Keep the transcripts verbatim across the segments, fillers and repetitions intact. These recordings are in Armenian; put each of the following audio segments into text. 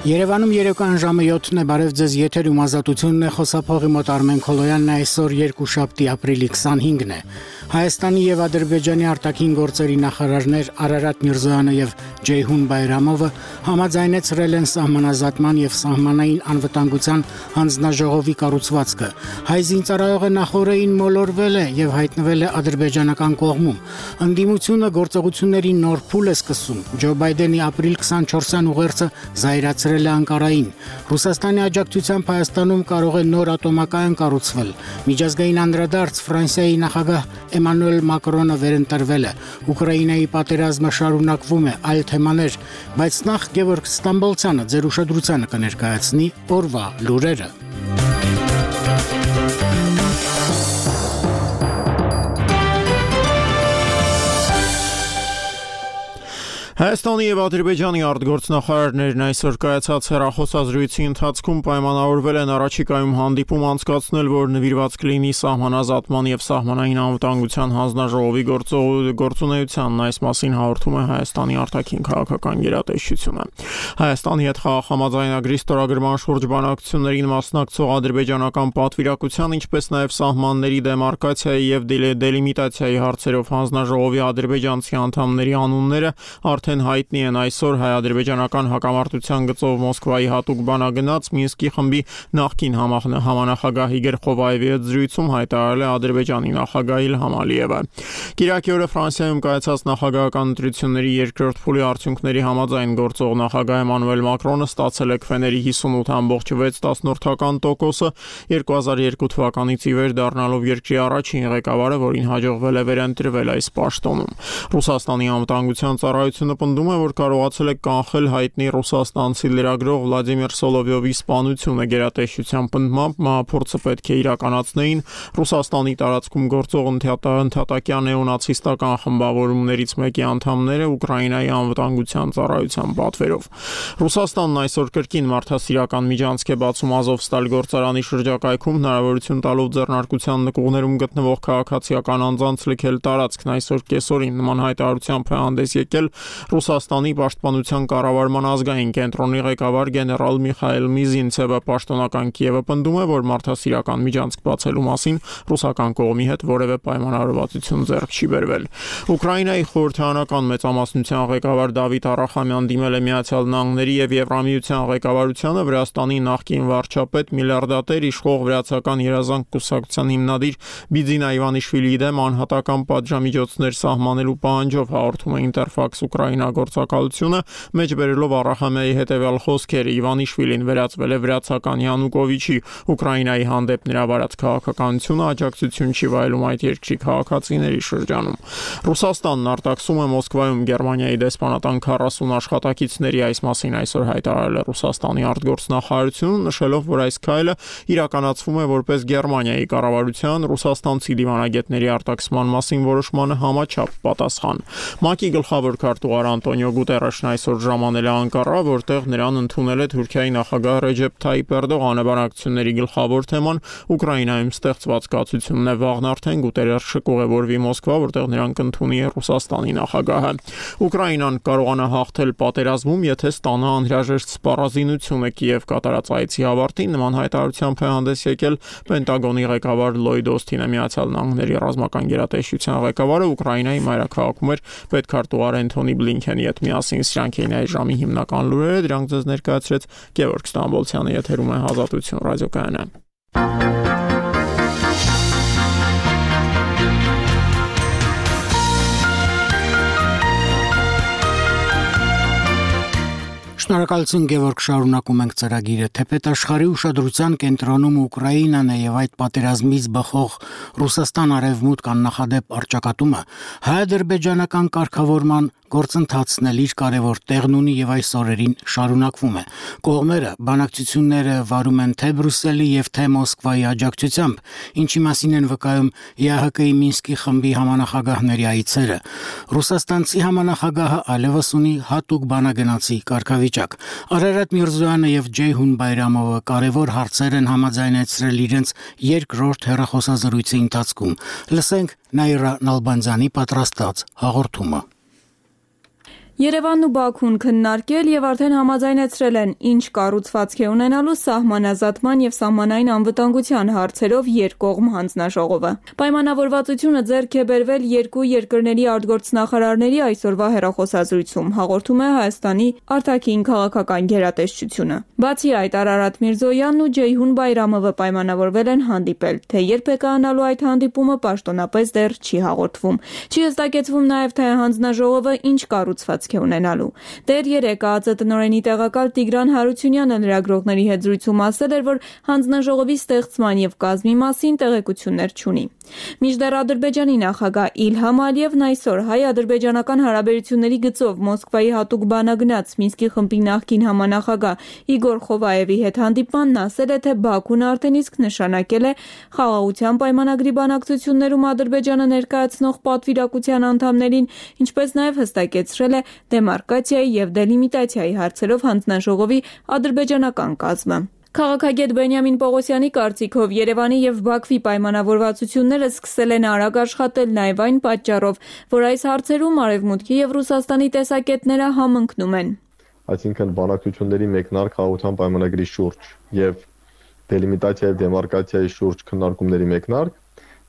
Երևանում երեկոյան ժամը յոթն է, բարև ձեզ, եթերում ազատությունն է, խոսափողի մոտ Արմեն Քոլոյանն է, այսօր երկուշաբթի ապրիլի քսանհինգն է։ Հայաստանի եւ Ադրբեջանի արտաքին գործերի նախարարներ Արարատ Միրզոյանը եւ Ջեյհուն Բայրամովը համաձայնեցրել են սահմանազատման եւ սահմանային անվտանգության հանձնաժողովի կառուցվածքը։ Հայ զինծառայողը նախորդին մոլորվել է եւ հայտնվել է ադրբեջանական կողմում։ Ընդդիմությունը գործողությունների նոր փուլ է սկսում։ Ջո Բայդենի ապրիլ քսանչորսյան ուղերձը զայրացրել է Անկարային։ Ռուսաստանի աջակցությամբ Հայաստանում կարող է նոր ատոմակայան կառուցվել։ Միջազգային անդրադարձ Ֆրանսիայի նախագահ Էմանուել Մակրոնը վերընտրվել է։ Ուկրաինայի պատերազմը շարունակվում է, այլ թեմաներ, բայց նախ Գևորգ Ստամբոլցյանը ձեր ուշադրությանը կներկայացնի օրվա լուրերը։ Հայաստանի եւ Ադրբեջանի արտգործնախարարներն այսօր կայացած հեռախոսազրույցի ընթացքում պայմանավորվել են առաջիկայում հանդիպում անցկացնել, որ նվիրված կլինի սահմանազատման եւ սահմանային անվտանգության հանձնաժողովի գործունեությանն, այս մասին հաղորդում է Հայաստանի արտաքին քաղաքական գերատեսչությունը։ Հայաստանի հետ խաղաղամատայնագրի ստորագրման շուրջ բանակցություններին մասնակցող ադրբեջանական պատվիրակության, ինչպես նաեւ սահմանների դեմարկացիայի եւ դելիմիտացիայի հարցերով հանձնաժողովի ադրբեջանցի անդամների անունները արդեն հայտնի են այսօր հայ-ադրբեջանական հակամարտության գծով Մոսկվայի հատուկ բանագնաց Մինսկի խմբի նախկին համանախագահ Իգոր Խովայևի հետ զրույցում հայտարարել է Ադրբեջանի նախագահ Իլհամ Ալիևը։ Կիրակի օրը Ֆրանսիայում կայացած նախագահական ընտրությունների երկրորդ փուլի արդյունքների համաձայն գործող նախագահ Էմանուել Մակրոնը ստացել է քվեների հիսունութ կόμμα վեց տոկոսը, երկու հազար երկու թվականից ի վեր դառնալով երկրի առաջին ղեկավարը, որին հաջողվել է վերընտրվել այս պաշտոնում։ Ռուսաստանի անվտանգության ծառայությունը պնդում է, որ կարողացել է կանխել հայտնի ռուսաստանցի լրագրող Վլադիմիր Սոլովյովի սպանությունը։ Գերատեսչության պնդմամբ մահափորձը պետք է իրականացնեին Ռուսաստանի տարածքում գործող ընդհատակյան նեոնացիստական խմբավորումներից մեկի անդամները Ուկրաինայի անվտանգության ծառայության պատվերով։ Ռուսաստանն այսօր կրկին մարդասիրական միջանցք է բացում Ազովստալ գործարանի շրջակայքում, հնարավորություն տալով ձեռնարկության նկուղներում գտնվող քաղաքացիական անձանց լքել տարածքն։ Այսօր կեսօրին նման հայտարարությամբ է հանդես եկել Ռուսաստանի պաշտպանության կառավարման ազգային կենտրոնի ղեկավար գեներալ Միխայել Միզինցևը։ Պաշտոնական Կիևը պնդում է, որ մարդասիրական միջանցք բացելու մասին ռուսական կողմի հետ որևէ պայմանավորվածություն ձեռք չի բերվել։ Ուկրաինայի խորհրդարանական մեծամասնության ղեկավար Դավիթ Արախամյան դիմել է Միացյալ Նահանգների եւ Եվրամիության ղեկավարությանը Վրաստանի նախկին վարչապետ միլիարդատեր իշխող վրացական երազանք կուսակցության հիմնադիր Բիձինա Իվանիշվիլիի դեմ անհատական պատժամիջոցներ սահմանելու պահանջով, հաղորդում է Ինտերֆաքս Ուկրաինա գործակալությունը, մեջբերելով Արախամյայի հետևյալ խոսքերը. Իվանիշվիլին վերածվել է վրացական Յանուկովիչի, Ուկրաինայի հանդեպ նրա վարած քաղաքականությունը աջակցություն չի վայելում այդ երկրի քաղաքացիների շրջանում։ Ռուսաստանն արտաքսում է Մոսկվայում Գերմանիայի դեսպանատան քառասուն աշխատակիցների, այս մասին այսօր հայտարարել է Ռուսաստանի արտգործնախարարությունը, նշելով, որ այս քայլը իրականացվում է որպես Գերմանիայի կառավարության ռուսաստանցի դիվանագետների արտաքսման մասին որոշմանը համաչափ պատասխան։ ՄԱԿ-ի գլխավոր քարտուղար Անտոնիո Գուտերեշն այսօր ժամանել է Անկարա, որտեղ նրան ընդունել է Թուրքիայի նախագահ Ռեջեփ Թայիպ Էրդողանը։ Բանակցությունների գլխավոր թեման Ուկրաինայում ստեղծված կացությունն է։ Վաղն արդեն Գուտերեշը կուղևորվի Մոսկվա, որտեղ նրան կընդունի Ռուսաստանի նախագահը։ Ուկրաինան կարողանա հաղթել պատերազմում, եթե ստանա անհրաժեշտ սպառազինությունը։ Կիև կատարած այցի ավարտին նման հայտարարությամբ է հանդես եկել Պենտագոնի ղեկավար Լոյդ Օսթինը։ Միացյալ Նահանգների ռազմական գերատեսչության ղեկավարը Ուկրաինայի մայրաքաղաքում էր պետքարտուղար Էնթոնի Բլինքենի հետ միասին։ Սրանք էին այս ժամի հիմնական լուրերը, դրանք ձեզ ներկայացրեց Գևորգ Ստամբոլցյանը, եթերում է Ազատություն ռադիոկայանը։ Շնորհակալություն Գևորգ, շարունակում ենք ծրագիրը։ Թեպետ աշխարհի ուշադրության կենտրոնում Ուկրաինան է եւ այդ պատերազմից բխող Ռուսաստան արևմուտք աննախադեպ առճակատումը հայ-ադրբեջանական կարգավորման գործընթացն էլ իր կարևոր տեղն ունի եւ այս օրերին շարունակվում է։ Կողմերը բանակցությունները վարում են թե Բրյուսելի եւ թե Մոսկվայի աջակցությամբ, ինչի մասին են վկայում ԵԱՀԿ-ի Մինսկի խմբի համանախագահների այցերը։ Ռուսաստանցի համանախագահը այլևս ունի հատուկ բանագնացի կարգավիճակ։ Արարատ Միրզոյանը եւ Ջեյհուն Բայրամովը կարևոր հարցեր են համաձայնեցրել իրենց երկրորդ հեռախոսազրույցի ընթացքում։ Լսենք Նաիրա Նալբանդյանի պատրաստած հաղորդումը։ Երևանն ու Բաքուն քննարկել եւ արդեն համաձայնեցրել են, ինչ կառուցվածք է ունենալու սահմանազատման եւ սահմանային անվտանգության հարցերով երկկողմ հանձնաժողովը։ Պայմանավորվածությունը ձեռք է բերվել երկու երկրների արտգործնախարարների այսօրվա հեռախոսազրույցում, հաղորդում է Հայաստանի արտաքին քաղաքական գերատեսչությունը։ Բացի այդ, Արարատ Միրզոյանն ու Ջեյհուն Բայրամովը պայմանավորվել են հանդիպել, թե երբ է կայանալու այդ հանդիպումը պաշտոնապես դեռ չի հաղորդվում։ Չի հստակեցվում նաեւ, թե հանձնաժողովը ինչ կառուցվածք է ունենալու։ Դեռ երեկ ԱԱԾ տնօրենի տեղակալ Տիգրան Հարությունյանը լրագրողների հետ զրույցում ասել էր, որ հանձնաժողովի ստեղծման եւ կազմի մասին տեղեկություններ չունի։ Մինչդեռ Ադրբեջանի նախագահ Իլհամ Ալիևն այսօր հայ-ադրբեջանական հարաբերությունների գծով Մոսկվայի հատուկ բանագնաց Մինսկի խմբի նախկին համանախագահ Իգոր Խովայևի հետ հանդիպմանն ասել է, թե Բաքուն արդեն իսկ նշանակել է խաղաղության պայմանագրի բանակցություններում Ադրբեջանը ներկայացնող պատվիրակության անդամներին, ինչպես նաեւ հստակեցրել է դեմարկացիայի եւ դելիմիտացիայի հարցերով հանձնաժողովի ադրբեջանական կազմը։ Քաղաքագետ Բենյամին Պողոսյանի կարծիքով Երևանի եւ Բաքվի պայմանավորվածությունները սկսել են արագ աշխատել նաեւ այն պատճառով, որ այս հարցերում Արևմուտքի եւ Ռուսաստանի տեսակետները համընկնում են։ Այսինքն բանակցությունների մեկնարկ խաղաղության պայմանագրի շուրջ եւ դելիմիտացիայի եւ դեմարկացիայի շուրջ քննարկումների մեկնարկ,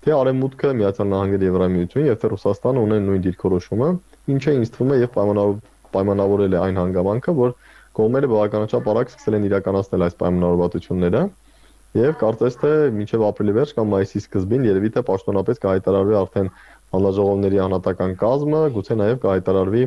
թե Արևմուտքը, Միացյալ Նահանգները, Եվրամիությունը եւ թե Ռուսաստանը ունեն նույն դիրքորոշումը, ինչը ինձ թվում է եւ պայմանավորել է այն հանգամանքը, որ կողմերը բավականաչափ արագ սկսել են իրականացնել այս պայմանավորվածությունները եւ կարծես թե մինչեւ ապրիլի վերջ կամ մայիսի սկզբին երևի թե պաշտոնապես կհայտարարվի արդեն հանձնաժողովների անհատական կազմը, գուցե նաեւ կհայտարարվի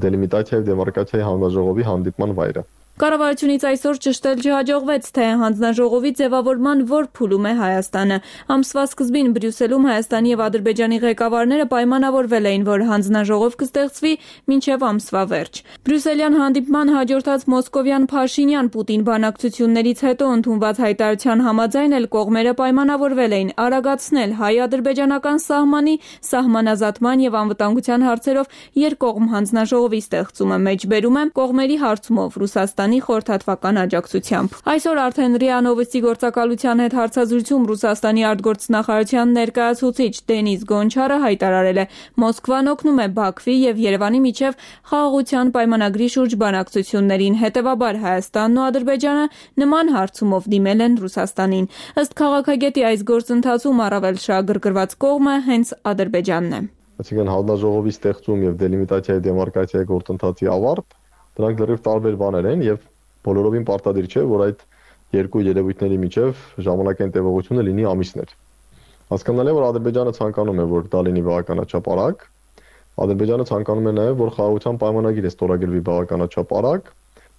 դելիմիտացիայի եւ դեմարկացիայի հանձնաժողովի հանդիպման վայրը։ Կառավարությունից այսօր ճշտել չհաջողվեց, թե հանձնաժողովի ձևավորման որ փուլում է Հայաստանը։ Ամսվա սկզբին Բրյուսելում Հայաստանի եւ Ադրբեջանի ղեկավարները պայմանավորվել էին, որ հանձնաժողով կստեղծվի մինչեւ ամսվա վերջ։ Բրյուսելյան հանդիպման հաջորդած մոսկովյան Փաշինյան-Պուտին բանակցություններից հետո ընդունված հայտարարության համաձայն էլ կողմերը պայմանավորվել էին արագացնել հայ-ադրբեջանական սահմանի սահմանազատման եւ անվտանգության հարցերով երկկողմ հանձնաժողովի ստեղծումը, մեջբերում է կողմերի հարցումով Ռուսաստանի խորհրդատվական աջակցությամբ։ Այսօր արդեն ՌԻԱ Նովոստի գործակալության հետ հարցազրույցում Ռուսաստանի արտգործնախարարության ներկայացուցիչ Դենիս Գոնչարը հայտարարել է, Մոսկվան օգնում է Բաքվի եւ Երևանի միջև խաղաղության պայմանագրի շուրջ բանակցություններին, հետեւաբար Հայաստանն ու Ադրբեջանը նման հարցումով դիմել են Ռուսաստանին։ Ըստ քաղաքագետի այս գործընթացում առավել շահագրգռված կողմը հենց Ադրբեջանն է։ Այսինքն հանձնաժողովի ստեղծում եւ դելիմիտացիայի դեմարկացիայի գործընթացի ավարտ դրանք լրիվ տարբեր բաներ են եւ բոլորովին պարտադիր չէ, որ այդ երկու երևույթների միջև ժամանակային տևողությունը լինի ամիսներ։ Հասկանալի է, որ Ադրբեջանը ցանկանում է, որ դա լինի բավականաչափ արագ։ Ադրբեջանը ցանկանում է նաեւ, որ խաղաղության պայմանագիրը ստորագրվի բավականաչափ արագ,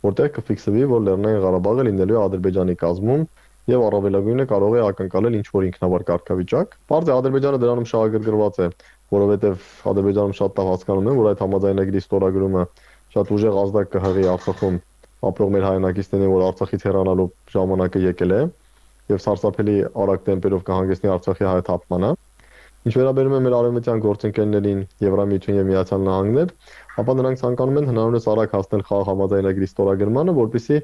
որտեղ կֆիքսվի, որ Լեռնային Ղարաբաղը լինելու է Ադրբեջանի կազմում եւ առավելագույնը կարող է ակնկալել ինչ-որ ինքնավար կարգավիճակ։ Բարձր Ադրբեջանը դրանում շահագրգռված է, որովհետեւ Ադրբեջանում շատ լավ հասկանում են, որ այդ համաձայնագրի ստորագրումը շատ ուժեղ ազդակ կհղի Արցախում ապրող մեր հայրենակիցներին, որ Արցախից հեռանալու ժամանակը եկել է եւ սարսափելի արագ տեմպերով կհանգեցնի Արցախի հայաթափմանը։ Ինչ վերաբերում է մեր արևմտյան գործընկերներին, Եվրամիություն եւ Միացյալ Նահանգներ, ապա նրանք ցանկանում են հնարավորինս արագ հասնել խաղաղ համաձայնագրի ստորագրմանը, որպեսզի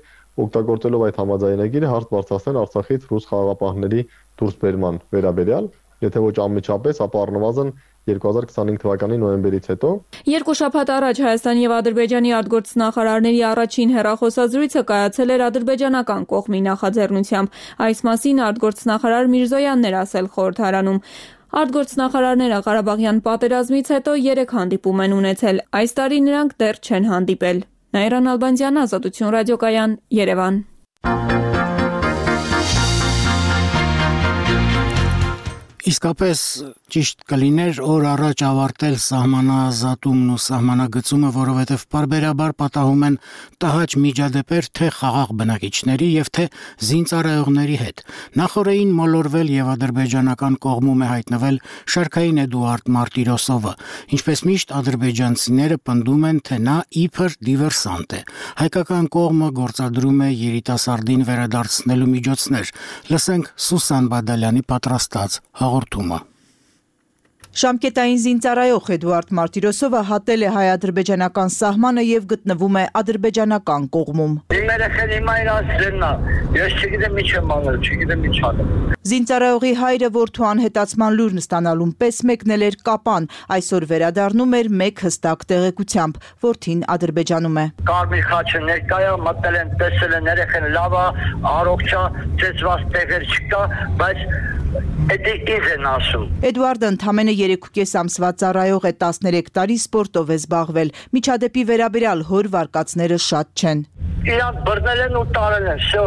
օգտագործելով այդ համաձայնագիրը հարց բարձրացնել Արցախից ռուս խաղաղապահների դուրսբերման վերաբերյալ, եթե ոչ անմիջապես, ապա առնվազն երկու հազար քսանհինգ թվականի նոյեմբերից հետո։ Երկու շաբաթ առաջ Հայաստանի եւ Ադրբեջանի արտգործնախարարների առաջին հեռախոսազրույցը կայացել էր ադրբեջանական կողմի նախաձեռնությամբ։ Այս մասին արտգործնախարար Միրզոյանն էր ասել խորհրդարանում։ Արտգործնախարարները Ղարաբաղյան պատերազմից հետո երեք հանդիպում են ունեցել։ Այս տարի նրանք դեռ չեն հանդիպել։ Նաիրան Ալբանդյան, Ազատություն ռադիոկայան, Երևան։ Իսկապես ճիշտ կլիներ օր առաջ ավարտել սահմանազատումն ու սահմանագծումը, որովհետև պարբերաբար պատահում են տհաճ միջադեպեր թե խաղաղ բնակիչների եւ թե զինծառայողների հետ։ Նախորդին մոլորվել եւ ադրբեջանական կողմում է հայտնվել Շարքային Էդուարդ Մարտիրոսովը, ինչպես միշտ ադրբեջանցիները պնդում են, թե նա իբր դիվերսանտ է։ Հայկական կողմը գործադրում է երիտասարդին վերադարձնելու միջոցներ։ Լսենք Սուսան Բադալյանի պատրաստած հաղորդումը։ Ժամկետային զինծառայող Էդուարդ Մարտիրոսովը հատել է հայ-ադրբեջանական սահմանը եւ գտնվում է ադրբեջանական կողմում։ Իմ երեխեն հիմա իրացրելն է, ես չգիտեմ ինչ եմ անել, չգիտեմ ինչ անեմ։ Զինծառայողի հայրը որդու անհետացման լուրն ստանալուն պես մեկնել էր Կապան, այսօր վերադառնում էր մեկ հստակ տեղեկությամբ, որդին Ադրբեջանում է։ Կարմիր խաչը ներկա է, մտել են, տեսել են, երեխեն լավ է, առողջ է, ծեծված տեղեր չկա, բայց Էդի ինձ են ասում։ Էդուարդը ընդամենը երեք ու կես ամսվա ծառայող է, տասներեք տարի սպորտով է զբաղվել։ Միջադեպի վերաբերյալ հոր վարկածները շատ չեն։ Իրանք բռնել են ու տարել են, շո։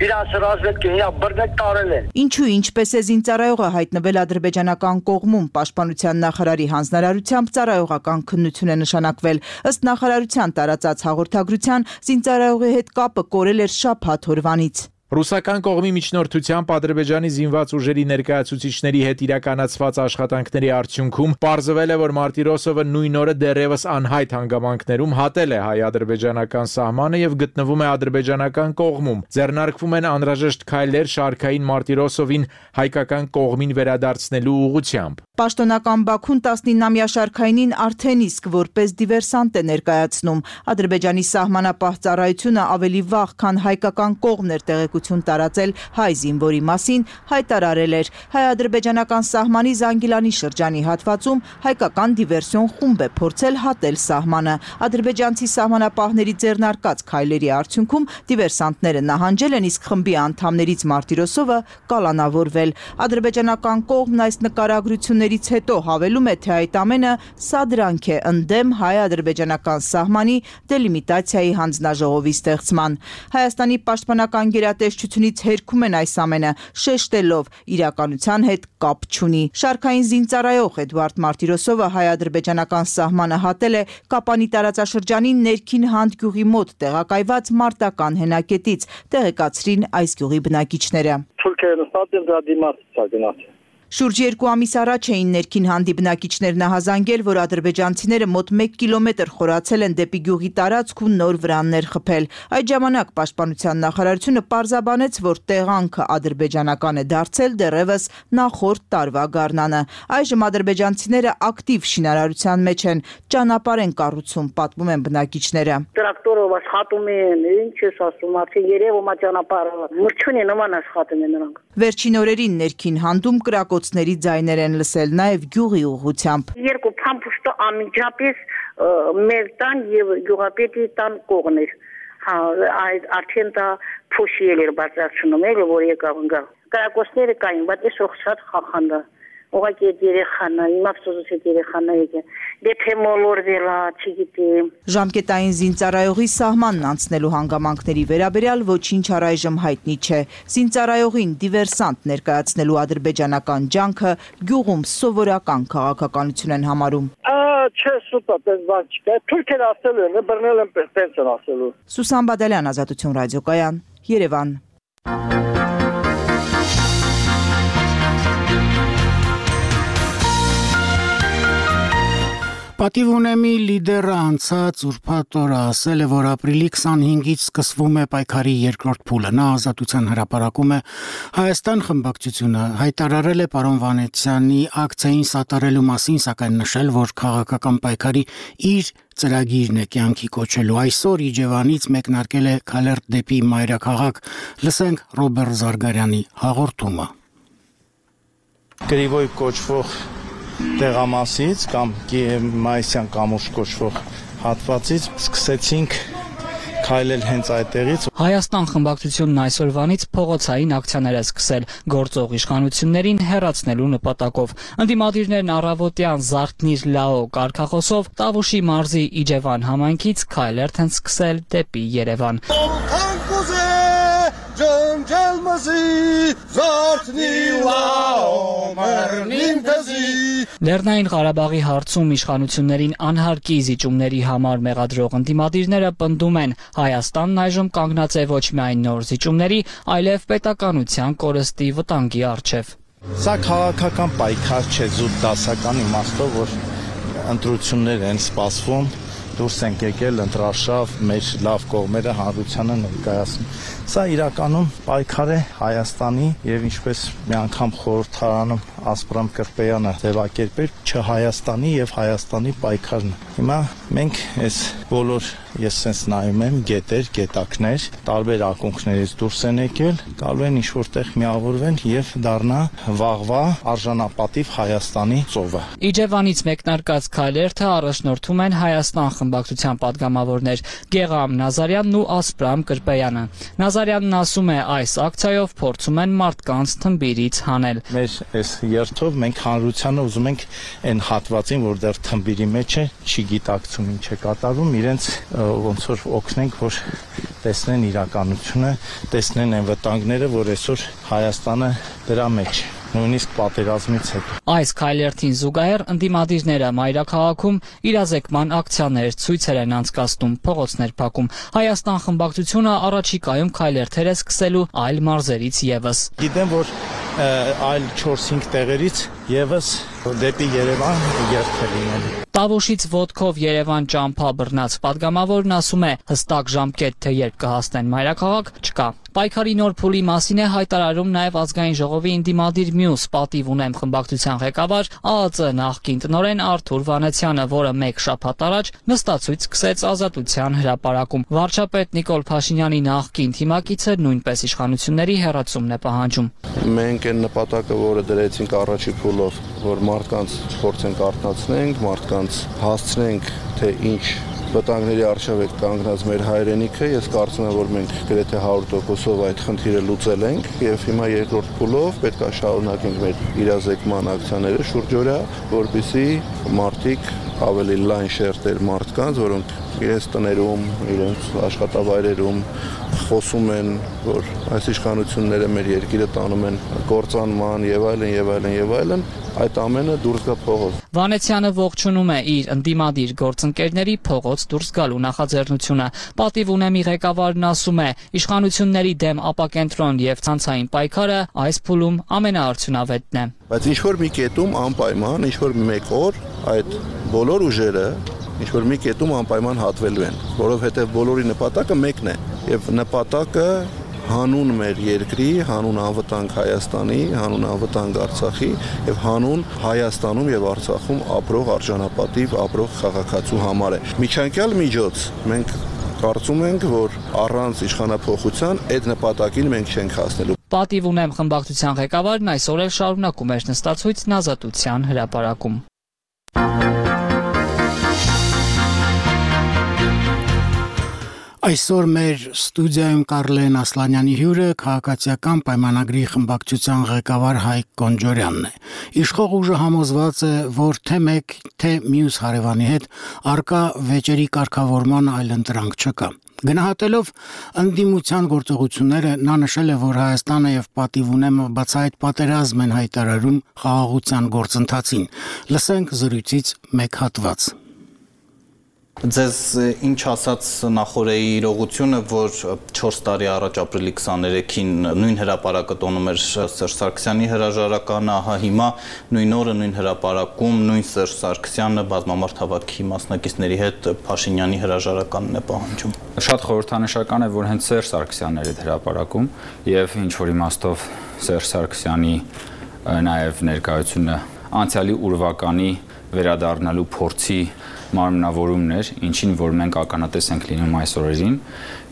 Իրանց ռազմետքին իրանք բռնել տարել են։ Ինչու ինչպես է զինծառայողը հայտնվել ադրբեջանական կողմում, պաշտպանության նախարարի հանձնարարությամբ ծառայողական քննություն է նշանակվել։ Ըստ նախարարության տարածած հաղորդագրության, զինծառայողի հետ կապը կորել էր շաբաթ օրվանից։ Ռուսական կողմի միջնորդությամբ Ադրբեջանի զինված ուժերի ներկայացուցիչների հետ իրականացված աշխատանքների արդյունքում պարզվել է, որ Մարտիրոսովը նույն օրը դեռևս անհայտ հանգամանքներում հատել է հայ-ադրբեջանական սահմանը եւ գտնվում է ադրբեջանական կողմում։ Ձեռնարկվում են անհրաժեշտ քայլեր շարքային Մարտիրոսովին հայկական կողմին վերադարձնելու ուղղությամբ։ Պաշտոնական Բաքուն տասնինամյա շարքայինին արդեն իսկ որպես դիվերսանտ է ներկայացնում։ Ադրբեջանի սահմանապահ ծառայությունը ավելի վաղ, քան հայկական կողմն էր տեղեկություն տարածել հայ զինվորի մասին, հայտարարել էր հայ-ադրբեջանական սահմանի Զանգիլանի շրջանի հատվածում հայկական դիվերսիոն խումբ է փորձել հատել սահմանը։ Ադրբեջանցի սահմանապահների ձեռնարկած քայլերի արդյունքում դիվերսանտները նահանջել են, իսկ խմբի անդամներից Մարտիրոսովը կալանավորվել։ Ադրբեջանական կողմն այս նկարագրություններից հետո հավելում է, թե այդ ամենը սադրանք է ընդդեմ հայ-ադրբեջանական սահմանի դելիմիտացիայի հանձնաժողովի ստեղծման։ Հայաստանի պաշտպանական գերատեսչությունից հերքում են այս ամենը, շեշտելով իրականության հետ կապ չունի։ Շարքային զինծառայող Էդուարդ Մարտիրոսովը հայ-ադրբեջանական սահմանը հատել է Կապանի տարածաշրջանի ներքին Հանդ գյուղի մոտ տեղակայված մարտական հենակետից, տեղեկացրին այս գյուղի բնակիչները։ Թուրքերը նստած են դրա դիմաց գնաց։ Շուրջ երկու ամիս առաջ էին ներքին Հանդի բնակիչներն ահազանգել, որ ադրբեջանցիները մոտ մեկ կիլոմետր խորացել են դեպի գյուղի տարածք ու նոր վրաններ խփել։ Այդ ժամանակ պաշտպանության նախարարությունը պարզաբանեց, որ տեղանքը ադրբեջանական է դարձել դեռևս նախորդ տարվա գարնանը։ Այժմ ադրբեջանցիները ակտիվ շինարարության մեջ են, ճանապարհ են կառուցում, պատմում են բնակիչները։ Տրակտորով աշխատում են, ինչ ես ասում, արդեն երևում է ճանապարհը։ Մրջունի նման աշխատում են նրանք։ Վերջին օրերին ներքին Հանդում կրակոցների ձայներ են լսել նաև գյուղի ուղղությամբ։ Երկու փամփուշտը անմիջապես մեր տան եւ գյուղապետի տան կողմն էր։ Հա, այդ արդեն դա փոշիել էր բարձրացնում էր, որ եկավ գա։ Կրակոցները կային, բայց ես շատ խախանდა։ Ուղղակի երեխան, իմ ափսոսից երեխան եկե։ Դեպի մոլորվելա, չգիտեմ։ Ժամկետային զինծառայողի սահմանն անցնելու հանգամանքների վերաբերյալ ոչինչ առայժմ հայտնի չէ։ Զինծառայողին դիվերսանտ ներկայացնելու ադրբեջանական ջանքը գյուղում սովորական քաղաքականություն են համարում։ Չէ, սուպա, պես բան չկա։ Թուրքերը ասել են, բռնել են պես տենց են ասելու։ Սուսան Բադալյան, Ազատություն ռադիոկայան, Երևան։ Պատիվ ունեմի լիդերը անցած ուրբաթ օրը ասել է, որ ապրիլի քսանհինգից սկսվում է պայքարի երկրորդ փուլը։ Նա Ազատության հրապարակում է Հայաստան խմբակցությունը հայտարարել է պարոն Վանեցյանի ակցիային սատարելու մասին, սակայն նշել, որ քաղաքական պայքարի իր ծրագիրն է կյանքի կոչելու։ Այսօր Իջևանից մեկնարկել է քալերտ դեպի մայրաքաղաք։ Լսենք Ռոբերտ Զարգարյանի հաղորդումը։ Գրիվոյ կոչվող տեղամասից կամ Մայիսյան կամուրջ կոչվող հատվածից սկսեցինք քայլել հենց այդտեղից։ Հայաստան խմբակցությունն այսօրվանից փողոցային ակցիաներ է սկսել գործող իշխանություններին հեռացնելու նպատակով։ Ընդդիմադիրներն առավոտյան Զարթնիր Լաո կարգախոսով Տավուշի մարզի Իջևան համայնքից քայլերթ են սկսել դեպի Երևան։ Լեռնային Ղարաբաղի հարցում իշխանություններին անհարկի զիջումների համար մեղադրող ընդդիմադիրները պնդում են, Հայաստանն այժմ կանգնած է ոչ միայն նոր զիջումների, այլև պետականության կորստի վտանգի առջև։ Սա քաղաքական պայքար չէ զուտ դասական իմաստով, որ ընտրություններ են սպասվում, դուրս ենք եկել ընտրարշավ, մեր լավ կողմերը հանրությանը ներկայացնում։ Սա իրականում պայքար է Հայաստանի եւ ինչպես մի անգամ խորհրդարանում Ասպրամ Կրպեյանը ձևակերպել, չ Հայաստանի եւ Հայաստանի պայքարն է։ Հիմա մենք այս բոլոր ես sense նայում եմ գետեր, գետակներ, տարբեր ակունքներից դուրս են եկել, գալու են ինչ որտեղ միավորվեն եւ դառնա վաղվա արժանապատիվ Հայաստանի ծովը։ Իջևանից մեկնարկած քայլերթը առաջնորդում են Հայաստան խմբակցության падգամավորներ Գեգամ Նազարյանն ու Ասպրամ Կրպեյանը։ Նազարյանն ասում է, այս ակցիայով փորձում են մարդկանց թմբիրից հանել։ Մեր այս երթով մենք հանրությանը ուզում ենք այն հատվածին, որ դեռ թմբիրի մեջ է, չի գիտակցում ինչ է կատարում, իրենց ոնց որ օգնենք, որ տեսնեն իրականությունը, տեսնեն այն վտանգները, որ այսօր Հայաստանը դրա մեջ է, նույնիսկ պատերազմից հետո։ Այս քայլերթին զուգահեռ ընդդիմադիրները մայրաքաղաքում իրազեկման ակցիաներ, ցույցեր են անցկացնում, փողոցներ փակում։ Հայաստան խմբակցությունը առաջիկայում քայլերթեր է սկսելու այլ մարզերից եւս։ Գիտեմ, որ այլ չորս-հինգ տեղերից եւս դեպի Երևան երթ է լինելու։ Տավուշից ոտքով Երևան ճամփա բռնած падգամավորն ասում է, հստակ ժամկետ թե երբ կհասնեն մայրաքաղաք չկա։ Պայքարի նոր փուլի մասին է հայտարարում նաև ազգային ժողովի ընդդիմադիր մյուս պատիվ ունեմ խմբակցության ղեկավար ԱԱԾ նախկին տնօրեն Արթուր Վանեցյանը, որը մեկ շաբաթ առաջ նստացույց սկսեց Ազատության հրապարակում։ Վարչապետ Նիկոլ Փաշինյանի նախկին թիմակիցը նույնպես իշխանությունների հեռացումն է պահանջում։ Մենք այն նպատակը, որը դրեցինք առաջի փուլով, որ մարդկանց փորձենք արթնացնենք, մարդկանց հասցնենք, թե ինչ վտանգների առջև է կանգնած մեր հայրենիքը, ես կարծում եմ, որ մենք գրեթե հարյուր տոկոսով այդ խնդիրը լուծել ենք եւ հիմա երկրորդ փուլով պետք է շարունակենք մեր իրազեկման ակցիաները շուրջօրյա, որպեսզի մարդիկ ավելի լայն շերտեր մարդկանց, որոնք իրենց տներում, իրենց աշխատավայրերում խոսում են, որ այս իշխանությունները մեր երկիրը տանում են կործանման եւ այլն եւ այլն եւ այլն, այդ ամենը դուրս գա փողոց։ Վանեցյանը ողջունում է իր ընդդիմադիր գործընկերների փողոց դուրս գալու նախաձեռնությունը։ Պատիվ ունեմի ղեկավարն ասում է, իշխանությունների դեմ ապակենտրոն եւ ցանցային պայքարը այս փուլում ամենաարդյունավետն է։ Բայց ինչ որ մի կետում անպայման, ինչ որ մեկ օր այդ բոլոր ուժերը ինչ որ մի կետում անպայման հատվելու են, որովհետև բոլորի նպատակը մեկն է եւ նպատակը հանուն մեր երկրի, հանուն անվտանգ Հայաստանի, հանուն անվտանգ Արցախի եւ հանուն Հայաստանում եւ Արցախում ապրող արժանապատիվ ապրող քաղաքացու համար է։ Միջանկյալ միջոց մենք կարծում ենք, որ առանց իշխանափոխության այդ նպատակին մենք չենք հասնելու։ Պատիվ ունեմ խմբակցության ղեկավարն այսօր էլ շարունակում էր նստացույցն Ազատության հրապարակում։ Այսօր մեր ստուդիայում Կարլեն Ասլանյանի հյուրը քաղաքացիական պայմանագրի խմբակցության ղեկավար Հայկ Կոնջորյանն է։ Իշխող ուժը համոզված է, որ թե մեկ, թե մյուս հարևանի հետ արկա վեճերի կարգավորման այլ ընտրանք չկա։ Գնահատելով ընդդիմության գործողությունները, նա նշել է, որ Հայաստանը եւ Պատիվ ունեմը բացահայտ պատերազմ են հայտարարում խաղաղության գործընթացին։ Լսենք զրույցից մեկ հատված։ Ձեզ ինչ ասաց նախորդի իրողությունը, որ չորս տարի առաջ ապրիլի քսաներեքին նույն հրապարակը տոնում էր Սերժ Սարգսյանի հրաժարականը, ահա հիմա նույն օրը նույն հրապարակում նույն Սերժ Սարգսյանը բազմամարդ հավաքի մասնակիցների հետ Փաշինյանի հրաժարականն է պահանջում։ Շատ խորհրդանշական է, որ հենց Սերժ Սարգսյանն էր այդ հրապարակում եւ ինչ որ իմաստով Սերժ Սարգսյանի նաեւ ներկայությունը անցյալի ուրվականի վերադառնալու փորձի մարմնավորումն էր, ինչին որ մենք ականատես ենք լինում այս օրերին,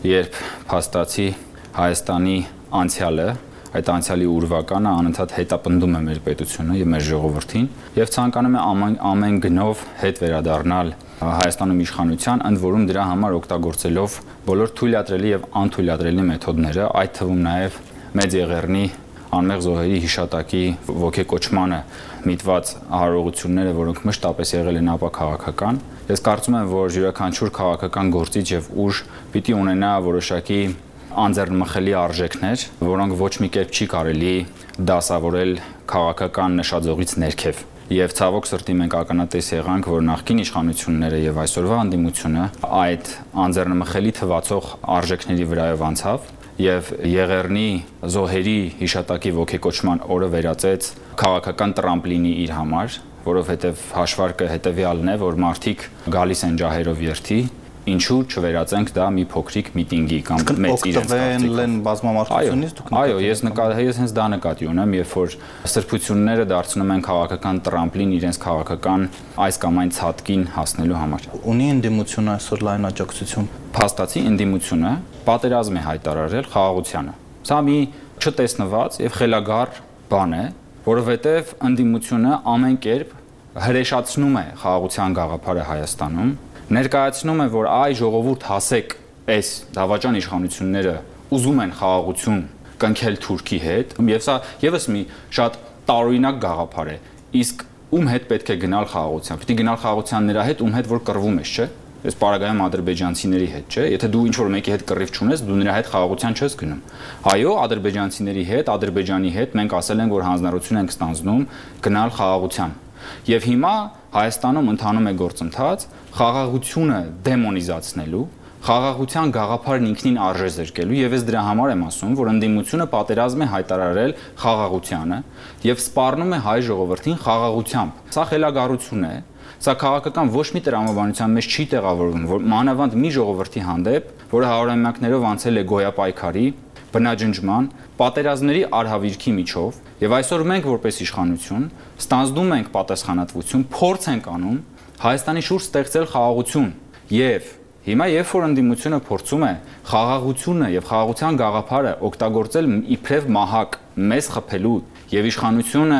երբ փաստացի Հայաստանի անցյալը, այդ անցյալի ուրվականը անընդհատ հետապնդում է մեր պետությունը եւ մեր ժողովրդին եւ ցանկանում է ամեն, ամեն գնով հետ վերադառնալ Հայաստանում իշխանության, ընդ որում դրա համար օգտագործելով բոլոր թույլատրելի եւ անթույլատրելի մեթոդները, այդ թվում նաեւ մեծ եղեռնի անմեղ զոհերի հիշատակի ոգեկոչմանը միտված հարողությունները, որոնք մշտապես եղել են ապաքաղաքական։ Ես կարծում եմ, որ յուրաքանչյուր քաղաքական գործիչ եւ ուժ պիտի ունենա որոշակի անձեռնմխելի արժեքներ, որոնք ոչ մի կերպ չի կարելի դասավորել քաղաքական նշաձողից ներքև։ Եվ ցավոք սրտի մենք ականատես եղանք, որ նախկին իշխանությունները եւ այսօրվա անդիմությունը այդ անձեռնմխելի թվացող արժեքների վրայով անցավ եւ եղեռնի զոհերի հիշատակի ոգեկոչման օրը վերածեց քաղաքական տրամպլինի իր համար, որովհետեւ հաշվարկը հետեւյալն է, որ մարդիկ գալիս են ջահերով երթի, ինչու չվերածենք դա մի փոքրիկ միտինգի կամ մեծ իրենց կարծիքով բազմամարդությունից դուք այո, ես նկատի ես հենց դա նկատի ունեմ, երբ որ սրբությունները դարձնում են քաղաքական տրամպլին իրենց քաղաքական այս կամ այն ցածկին հասնելու համար։ Ունի ընդդիմությունը այսօր լայն աջակցություն։ Փաստացի ընդդիմությունը պատերազմ է հայտարարել խաղաղությանը։ Սա մի չտեսնված եւ խելագար բան է, որովհետեւ ընդդիմությունը ամեն կերպ հրեշացնում է խաղաղության գաղափարը Հայաստանում, ներկայացնում է, որ այ ժողովուրդ հասեք, այս դավաճան իշխանությունները ուզում են խաղաղություն կնքել Թուրքի հետ, եւ սա եւս մի շատ տարօրինակ գաղափար է։ Իսկ ում հետ պետք է գնալ խաղաղության։ Պետք է գնալ խաղաղության նրա հետ, ում հետ որ կռվում ես, չէ՞։ Այս պարագայում ադրբեջանցիների հետ, չէ՞։ Եթե դու ինչ-որ մեկի հետ կռիվ չունես, դու նրա հետ խաղաղության չես գնում։ Այո, ադրբեջանցիների հետ, Ադրբեջանի հետ մենք ասել ենք, որ հանձնառություն ենք ստանձնում գնալ խաղաղության։ Եվ հիմա Հայաստանում ընթանում է գործընթաց խաղաղությունը դեմոնիզացնելու, խաղաղության գաղափարն ինքնին արժե զրկելու, եւ ես դրա համար եմ ասում, որ ընդդիմությունը պատերազմ է հայտարարել խաղաղությանը եւ սպառնում է հայ ժողովրդին խաղաղությամբ։ Սա խելագարություն է, սա քաղաքական ոչ մի տրամաբանության մեջ չի տեղավորվում, որ մանավանդ մի ժողովրդի հանդեպ, որը հարյուրամյակներով անցել է գոյապայքարի, բնաջնջման, պատերազմների արհավիրքի միջով, եւ այսօր մենք որպես իշխանություն ստանձնում ենք պատասխանատվություն, փորձ ենք անում Հայաստանի շուրջ ստեղծել խաղաղություն եւ հիմա երբ որ ընդդիմությունը փորձում է խաղաղությունը եւ խաղաղության գաղափարը օգտագործել իբրև մահակ մեզ խփելու եւ իշխանությունը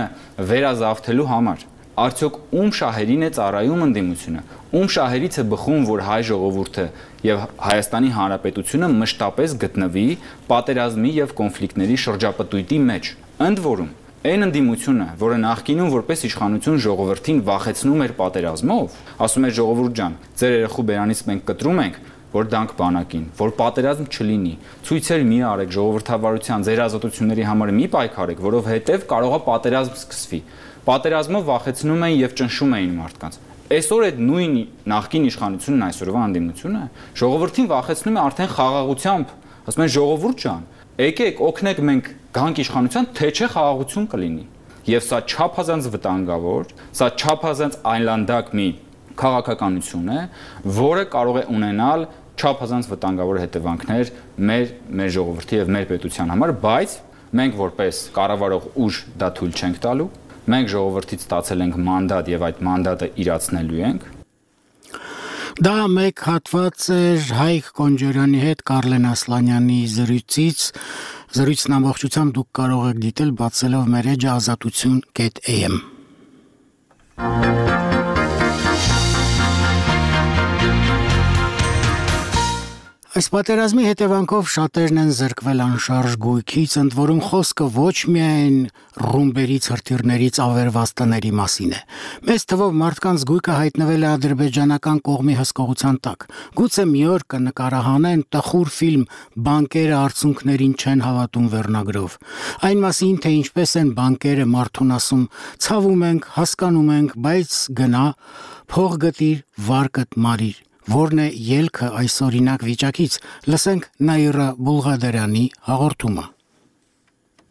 վերազավթելու համար, արդյոք ում շահերին է ծառայում ընդդիմությունը, ում շահերից է բխում, որ հայ ժողովուրդը եւ Հայաստանի Հանրապետությունը մշտապես գտնվի պատերազմի եւ կոնֆլիկտների շրջապտույտի մեջ։ Ընդ որում, այն ընդդիմությունը, որը նախկինում որպես իշխանություն ժողովրդին վախեցնում էր պատերազմով, ասում էր ժողովուրդ ջան, ձեր երեխու բերանից մենք կտրում ենք, որ դանք բանակին, որ պատերազմ չլինի, ցույցեր մի արեք ժողովրդավարության, ձեր ազատությունների համար մի պայքարեք, որովհետեւ կարող է պատերազմ սկսվի։ Պատերազմով վախեցնում էին եւ ճնշում էին մարդկանց։ Այսօր այդ նույն նախկին իշխանությունն այսօրվա ընդդիմությունը ժողովրդին վախեցնում է արդեն խաղաղությամբ, ասում են ժողովուրդ ջան, եկեք օգնեք մենք գանք իշխանության, թե չէ խաղաղություն կլինի։ Եվ սա չափազանց վտանգավոր, սա չափազանց այլանդակ մի քաղաքականություն է, որը կարող է ունենալ չափազանց վտանգավոր հետևանքներ մեր մեր ժողովրդի եւ մեր պետության համար, բայց մենք որպես կառավարող ուժ դա թույլ չենք տալու։ Մենք ժողովրդից ստացել ենք մանդատ եւ այդ մանդատը իրացնելու ենք։ Դա մեկ հատված էր Հայկ Կոնջորյանի հետ Կարլեն Ասլանյանի զրույցից։ Զրույցն ամբողջությամբ դուք կարող եք դիտել բացելով մեր էջը ազատություն կետ էյ էմ։ Այս պատերազմի հետևանքով շատերն են զրկվել անշարժ գույքից, ընդ որում խոսքը ոչ միայն ռումբերից, հրթիռներից ավերված տների մասին է։ Մեծ թվով մարդկանց գույքը հայտնվել է ադրբեջանական կողմի հսկողության տակ։ Գուցե մի օր կնկարահանեն տխուր ֆիլմ «Բանկերը արցունքներին չեն հավատում» վերնագրով։ Այն մասին, թե ինչպես են բանկերը մարդուն ասում, ցավում ենք, հասկանում ենք, բայց գնա, փող գտիր, վարկդ մարիր։ Որն է ելքը այս օրինակ վիճակից, լսենք Նաիրա Բուլղադարյանի հաղորդումը։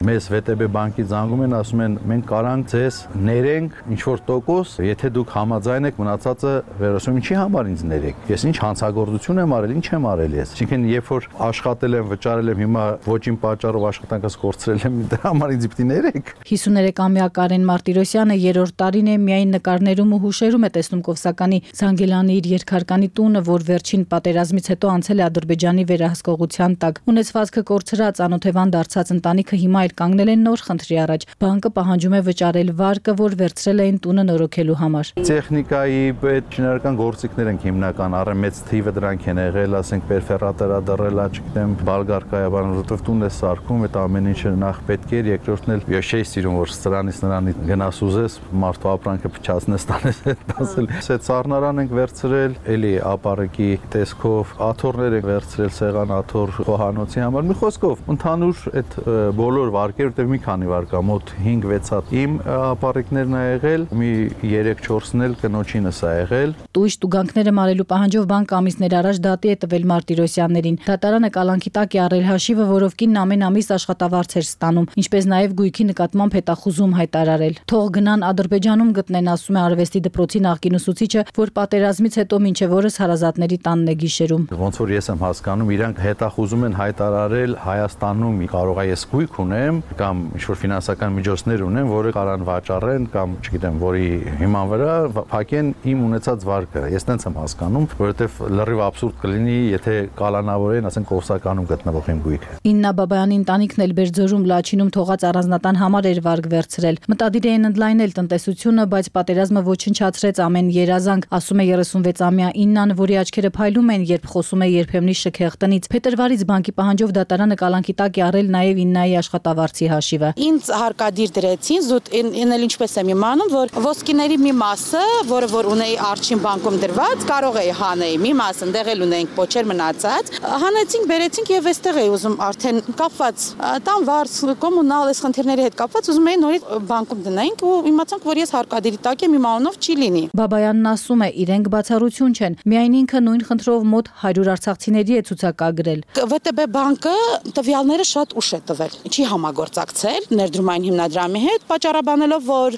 Մեզ վե տե բե բանկի զանգում են, ասում են մենք կարանք ձեզ ներենք ինչ-որ տոկոս, եթե դուք համաձայն եք մնացածը վերոսում, ինչի համար ինձ ներեք։ Ես ինչ հանցագործություն եմ արել, ինչ եմ արել ես։ Այսինքն երբ որ աշխատել եմ, վճարել եմ, հիմա ոչին պատճառով աշխատանքս կորցրել եմ, դրա համար ինձ պիտի ներեք։ հիսուներեքամյա Կարեն Մարտիրոսյանը երրորդ տարին է միայն նկարներում ու հուշերում է տեսնում Կովսականի Զանգելանի իր երկհարկանի տունը, որ վերջին պատերազմից հետո անցել է Ադրբեջանի վերահսկողության տակ։ Ունեցվածքը կորցրած անօթևան դարձած ընտանիքը հիմա իր կանգնել են նոր խնդրի առաջ։ Բանկը պահանջում է վճարել վարկը, որ վերցրել էին տունը նորոգելու համար։ Տեխնիկայի այդ շինարարական գործիքներ են հիմնական, առ մեծ թիվը դրանք են եղել, ասենք պերֆերատորադռել, չգիտեմ, բալգարկայաբան, որովհետև տուն է սարքում, այդ ամեն ինչը նախ պետք էր, երկրորդն էլ ես չէի սիրում, որ սրանից նրանից գնաս ուզես, մարդու ապրանքը փչացնես, տանես այդ ասել։ Այդ սառնարան ենք վերցրել, էլի ապարեկի տեսքով, աթոռներ ենք վերցրել, սեղան աթոռ խոհանոցի համար։ Մի խոսքով, ընդհանուր այդ բոլոր վարկեր, որտեղ մի քանի վար կա, մոտ հինգ վեց հատ իմ ապարիկներն ա եղել, մի երեք չորսն էլ կնոջինս ա եղել։ Տույժ տուգանքները մարելու պահանջով բանկը ամիսներ առաջ դատի է տվել Մարտիրոսյաններին։ Դատարանը կալանքի տակ է առել հաշիվը, որով կինն ամեն ամիս աշխատավարձ էր ստանում, ինչպես նաև գույքի նկատմամբ հետախուզում հայտարարել։ Թող գնան Ադրբեջանում գտնեն, ասում է արվեստի դպրոցի նախկին ուսուցիչը, որ պատերազմից հետո մինչև օրս հարազատների տանն է գիշերում։ Ոնց որ ես եմ հասկանում, իրանք հետախուզում են հայտարարել Հայաստանում կարող է ես գույք ունեմ կամ ինչ-որ ֆինանսական միջոցներ ունեմ, որը կարան վաճառեն կամ չգիտեմ, որի հիման վրա փակեն իմ ունեցած վարկը։ Ես տենց եմ հասկանում, որովհետև լրիվ աբսուրդ կլինի, եթե կալանավորեն, ասենք Կովսականում գտնվող իմ գույքը։ Իննա Բաբայանի ընտանիքն էլ Բերձորում Լաչինում թողած առանձնատան համար էր վարկ վերցրել։ Մտադիր էին ընդլայնել տնտեսությունը, բայց պատերազմը ոչնչացրեց ամեն երազանք, ասում է երեսունվեցամյա Իննան, որի աչքերը փայլում են, երբ խոսում է երբեմնի շքեղ տնից։ Փետրվարից բանկի պահանջով դատարանը կալանքի տակ է առել նաև Իննայի աշխատավարձի հաշիվը։ Ինձ հարկադիր դրեցին, զուտ ինել ինչպես եմ իմանում, որ ոսկիների մի մասը, որը որ ունեի Արջին բանկում դրված, կարող էի հանեի, մի մասը ընդեղ էլ ունեինք փոչեր մնացած, հանեցինք, բերեցինք եւ այստեղ էի ուզում արդեն կապված տան վարձ, կոմունալ այս խնդիրների հետ կապված ուզում էի նորից բանկում դնենք ու իմացանք, որ ես հարկադիրի տակ եմ, իմ անունով չի լինի։ Բաբայանն ասում է, իրենք բացառություն չեն, միայն ինքը նույն խնդրով մոտ հարյուր արցախցիների է ցուցակագրել։ вэ տե բե բանկը տվյալները շատ ուշ է տվել, չի համագործակցել ներդրումային հիմնադրամի հետ, պատճառաբանելով, որ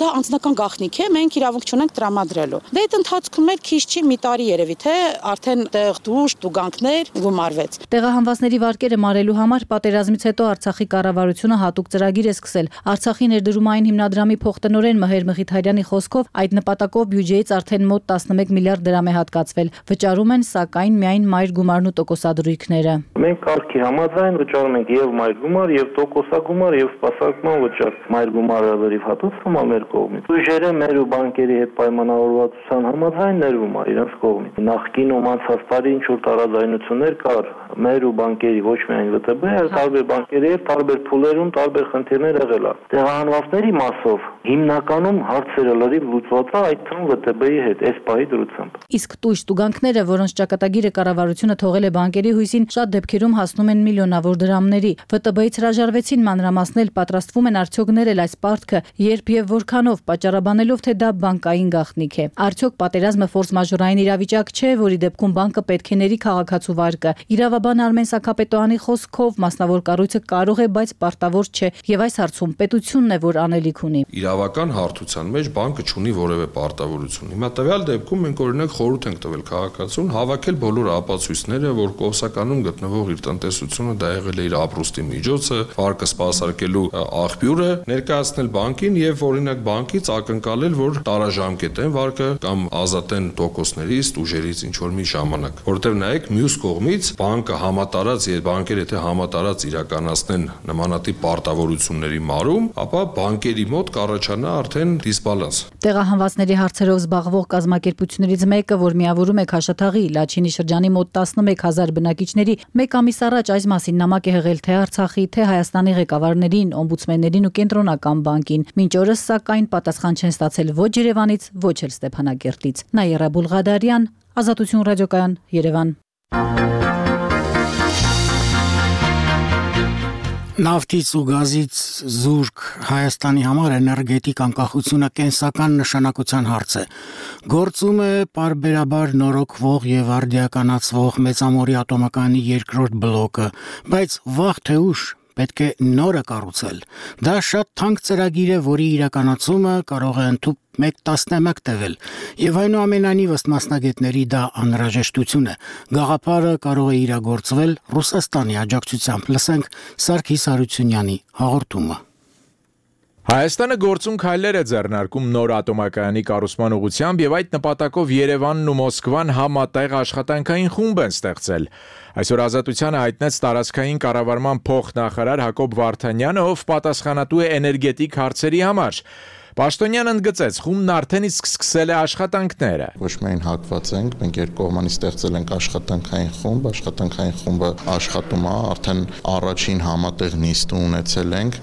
դա անձնական գաղտնիք է, մենք իրավունք չունենք տրամադրելու։ Դե այդ ընթացքում էլ քիչ չի մի տարի երևի թե արդեն տեղ դուժ, տուգանքներ գումարվեց։ Տեղահանվածների վարկերը մարելու համար պատերազմից հետո Արցախի կառավարությունը հատուկ ծրագիր է սկսել։ Արցախի ներդրումային հիմնադրամի փոխտնօրեն Մհեր Մխիթարյանի խոսքով այդ նպատակով բյուջեից արդեն մոտ տասնմեկ միլիարդ դրամ է հատկացվել։ Վճարում են սակայն միայն մայր գումարն ու տոկոսադրույքները։ Մենք կարգի համաձայն վճարում ենք եւ մայր գումար, եւ տոկոսագումար, եւ սպասարկման վճար։ Մայր գումարը լրիվ հատուցվում է մեր կողմից։ Բյուջերը մեր ու բանկերի հետ պայմանավորվածության համաձայն ներվում է իրենց կողմից։ Նախկինում անցած տարի ինչ որ տարաձայնություններ կար մեր ու բանկերի, ոչ միայն вэ տե բե, այլ տարբեր բանկերի եւ տարբեր փուլերում տարբեր խնդիրներ եղել է։ Տեղահանվածների մասով հիմնականում հարցերը լրիվ լուծված է, այդ թվում вэ տե բեի հետ այս պահի դրությամբ։ Իսկ տույժ տուգանքները, որոնց ճակատագիրը կառավարությունը թողել է բանկերի հույսին, շատ դեպքերում հասնում են միլիոնավոր դրամների։ вэ տե բեից հրաժարվեցին մանրամասնել, պատրաստվում են արդյոք ներել այս պարտքը, երբ եւ որքանով, պատճառաբանելով, թե դա բանկային գաղտնիք է։ Արդյոք պատերազմը ֆորս մաժորային իրավիճակ չէ, որի դեպքում բանկը պետք է ների քաղաքացու վարկը։ Իրավաբան Արմեն Սաքապետոյանի խոսքով մասնավոր կառույցը կարող է, բայց պարտավոր չէ, եւ այս հարցում պետությունն է, որ անելիք ունի։ Իրավական հարթության մեջ բանկը չունի որևէ պարտավորություն։ Հիմա տվյալ դեպքում մենք օրինակ խորհուրդ ենք տվել քաղաքացուն հավաքել բոլոր ապացույցները, որ Կովսականում գտնվող իր տնտեսությունը դա եղել է իր ապրուստի միջոցը, վարկը սպասարկելու աղբյուրը, ներկայացնել բանկին եւ օրինակ բանկից ակնկալել, որ տարաժամկետեն վարկը կամ ազատեն տոկոսներից, ուժերից ինչ որ մի ժամանակ։ Որտեւ նայեք մյուս կողմից բանկը համատարած եւ բանկերը եթե համատարած իրականացնեն նմանատիպ պարտավորությունների մարում, ապա բանկերի մոտ կառաջանա արդեն դիսբալանս։ Տեղահանվածների հարցերով զբաղվող կազմակերպություններից մեկը, որ միավորում է Քաշաթաղի Լաչինի շրջանի մոտ տասնմեկ հազար բնակիչների, մեկ ամիս առաջ այս մասին նամակ է հղել թե Արցախի, թե Հայաստանի ղեկավարներին, օմբուդսմեններին ու կենտրոնական բանկին։ Մինչ օրս սակայն պատասխան չեն ստացել ոչ Երևանից, ոչ էլ Ստեփանակերտից։ Նաիրա Բուլղադարյան, Ազատություն ռադիոկայան, Երևան։ Նավթից ու գազից զուրկ Հայաստանի համար էներգետիկ անկախությունը կենսական նշանակության հարց է։ Գործում է պարբերաբար նորոգվող եւ արդիականացվող մեծամորի ատոմակայանի երկրորդ բլոկը, բայց վաղ թե ուշ պետք է նորը կառուցել։ Դա շատ թանկ ծրագիր է, որի իրականացումը կարող է ընդհանուր մեկ տասնամյակ տևել, եւ այնուամենայնիվ ըստ մասնագետների դա անհրաժեշտություն է։ Գաղափարը կարող է իրագործվել Ռուսաստանի աջակցությամբ։ Լսենք Սարգիս Հարությունյանի հաղորդումը։ Հայաստանը գործուն քայլեր է ձեռնարկում նոր ատոմակայանի կառուցման ուղղությամբ եւ այդ նպատակով Երևանն ու Մոսկվան համատեղ աշխատանքային խումբ են ստեղծել։ Այսօր Ազատությանը հայտնեց տարածքային կառավարման փոխնախարար Հակոբ Վարդանյանը, ով պատասխանատու է էներգետիկ հարցերի համար։ Պաշտոնյանն ընդգծեց, խումբն արդեն իսկ սկսել է աշխատանքները։ Ոչ միայն հակված ենք, մենք երկկողմանի ստեղծել ենք աշխատանքային խումբ, աշխատանքային խումբը աշխատում է, արդեն առաջին համատեղ նիստ ունեցել ենք,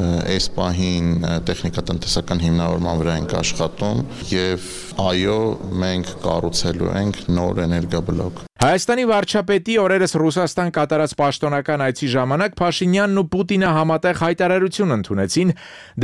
այս պահին տեխնիկատնտեսական հիմնավորման վրա ենք աշխատում եւ այո, մենք կառուցելու ենք նոր էներգաբլոկ։ Հայաստանի վարչապետի օրերս Ռուսաստան կատարած պաշտոնական այցի ժամանակ Փաշինյանն ու Պուտինը համատեղ հայտարարություն ընդունեցին,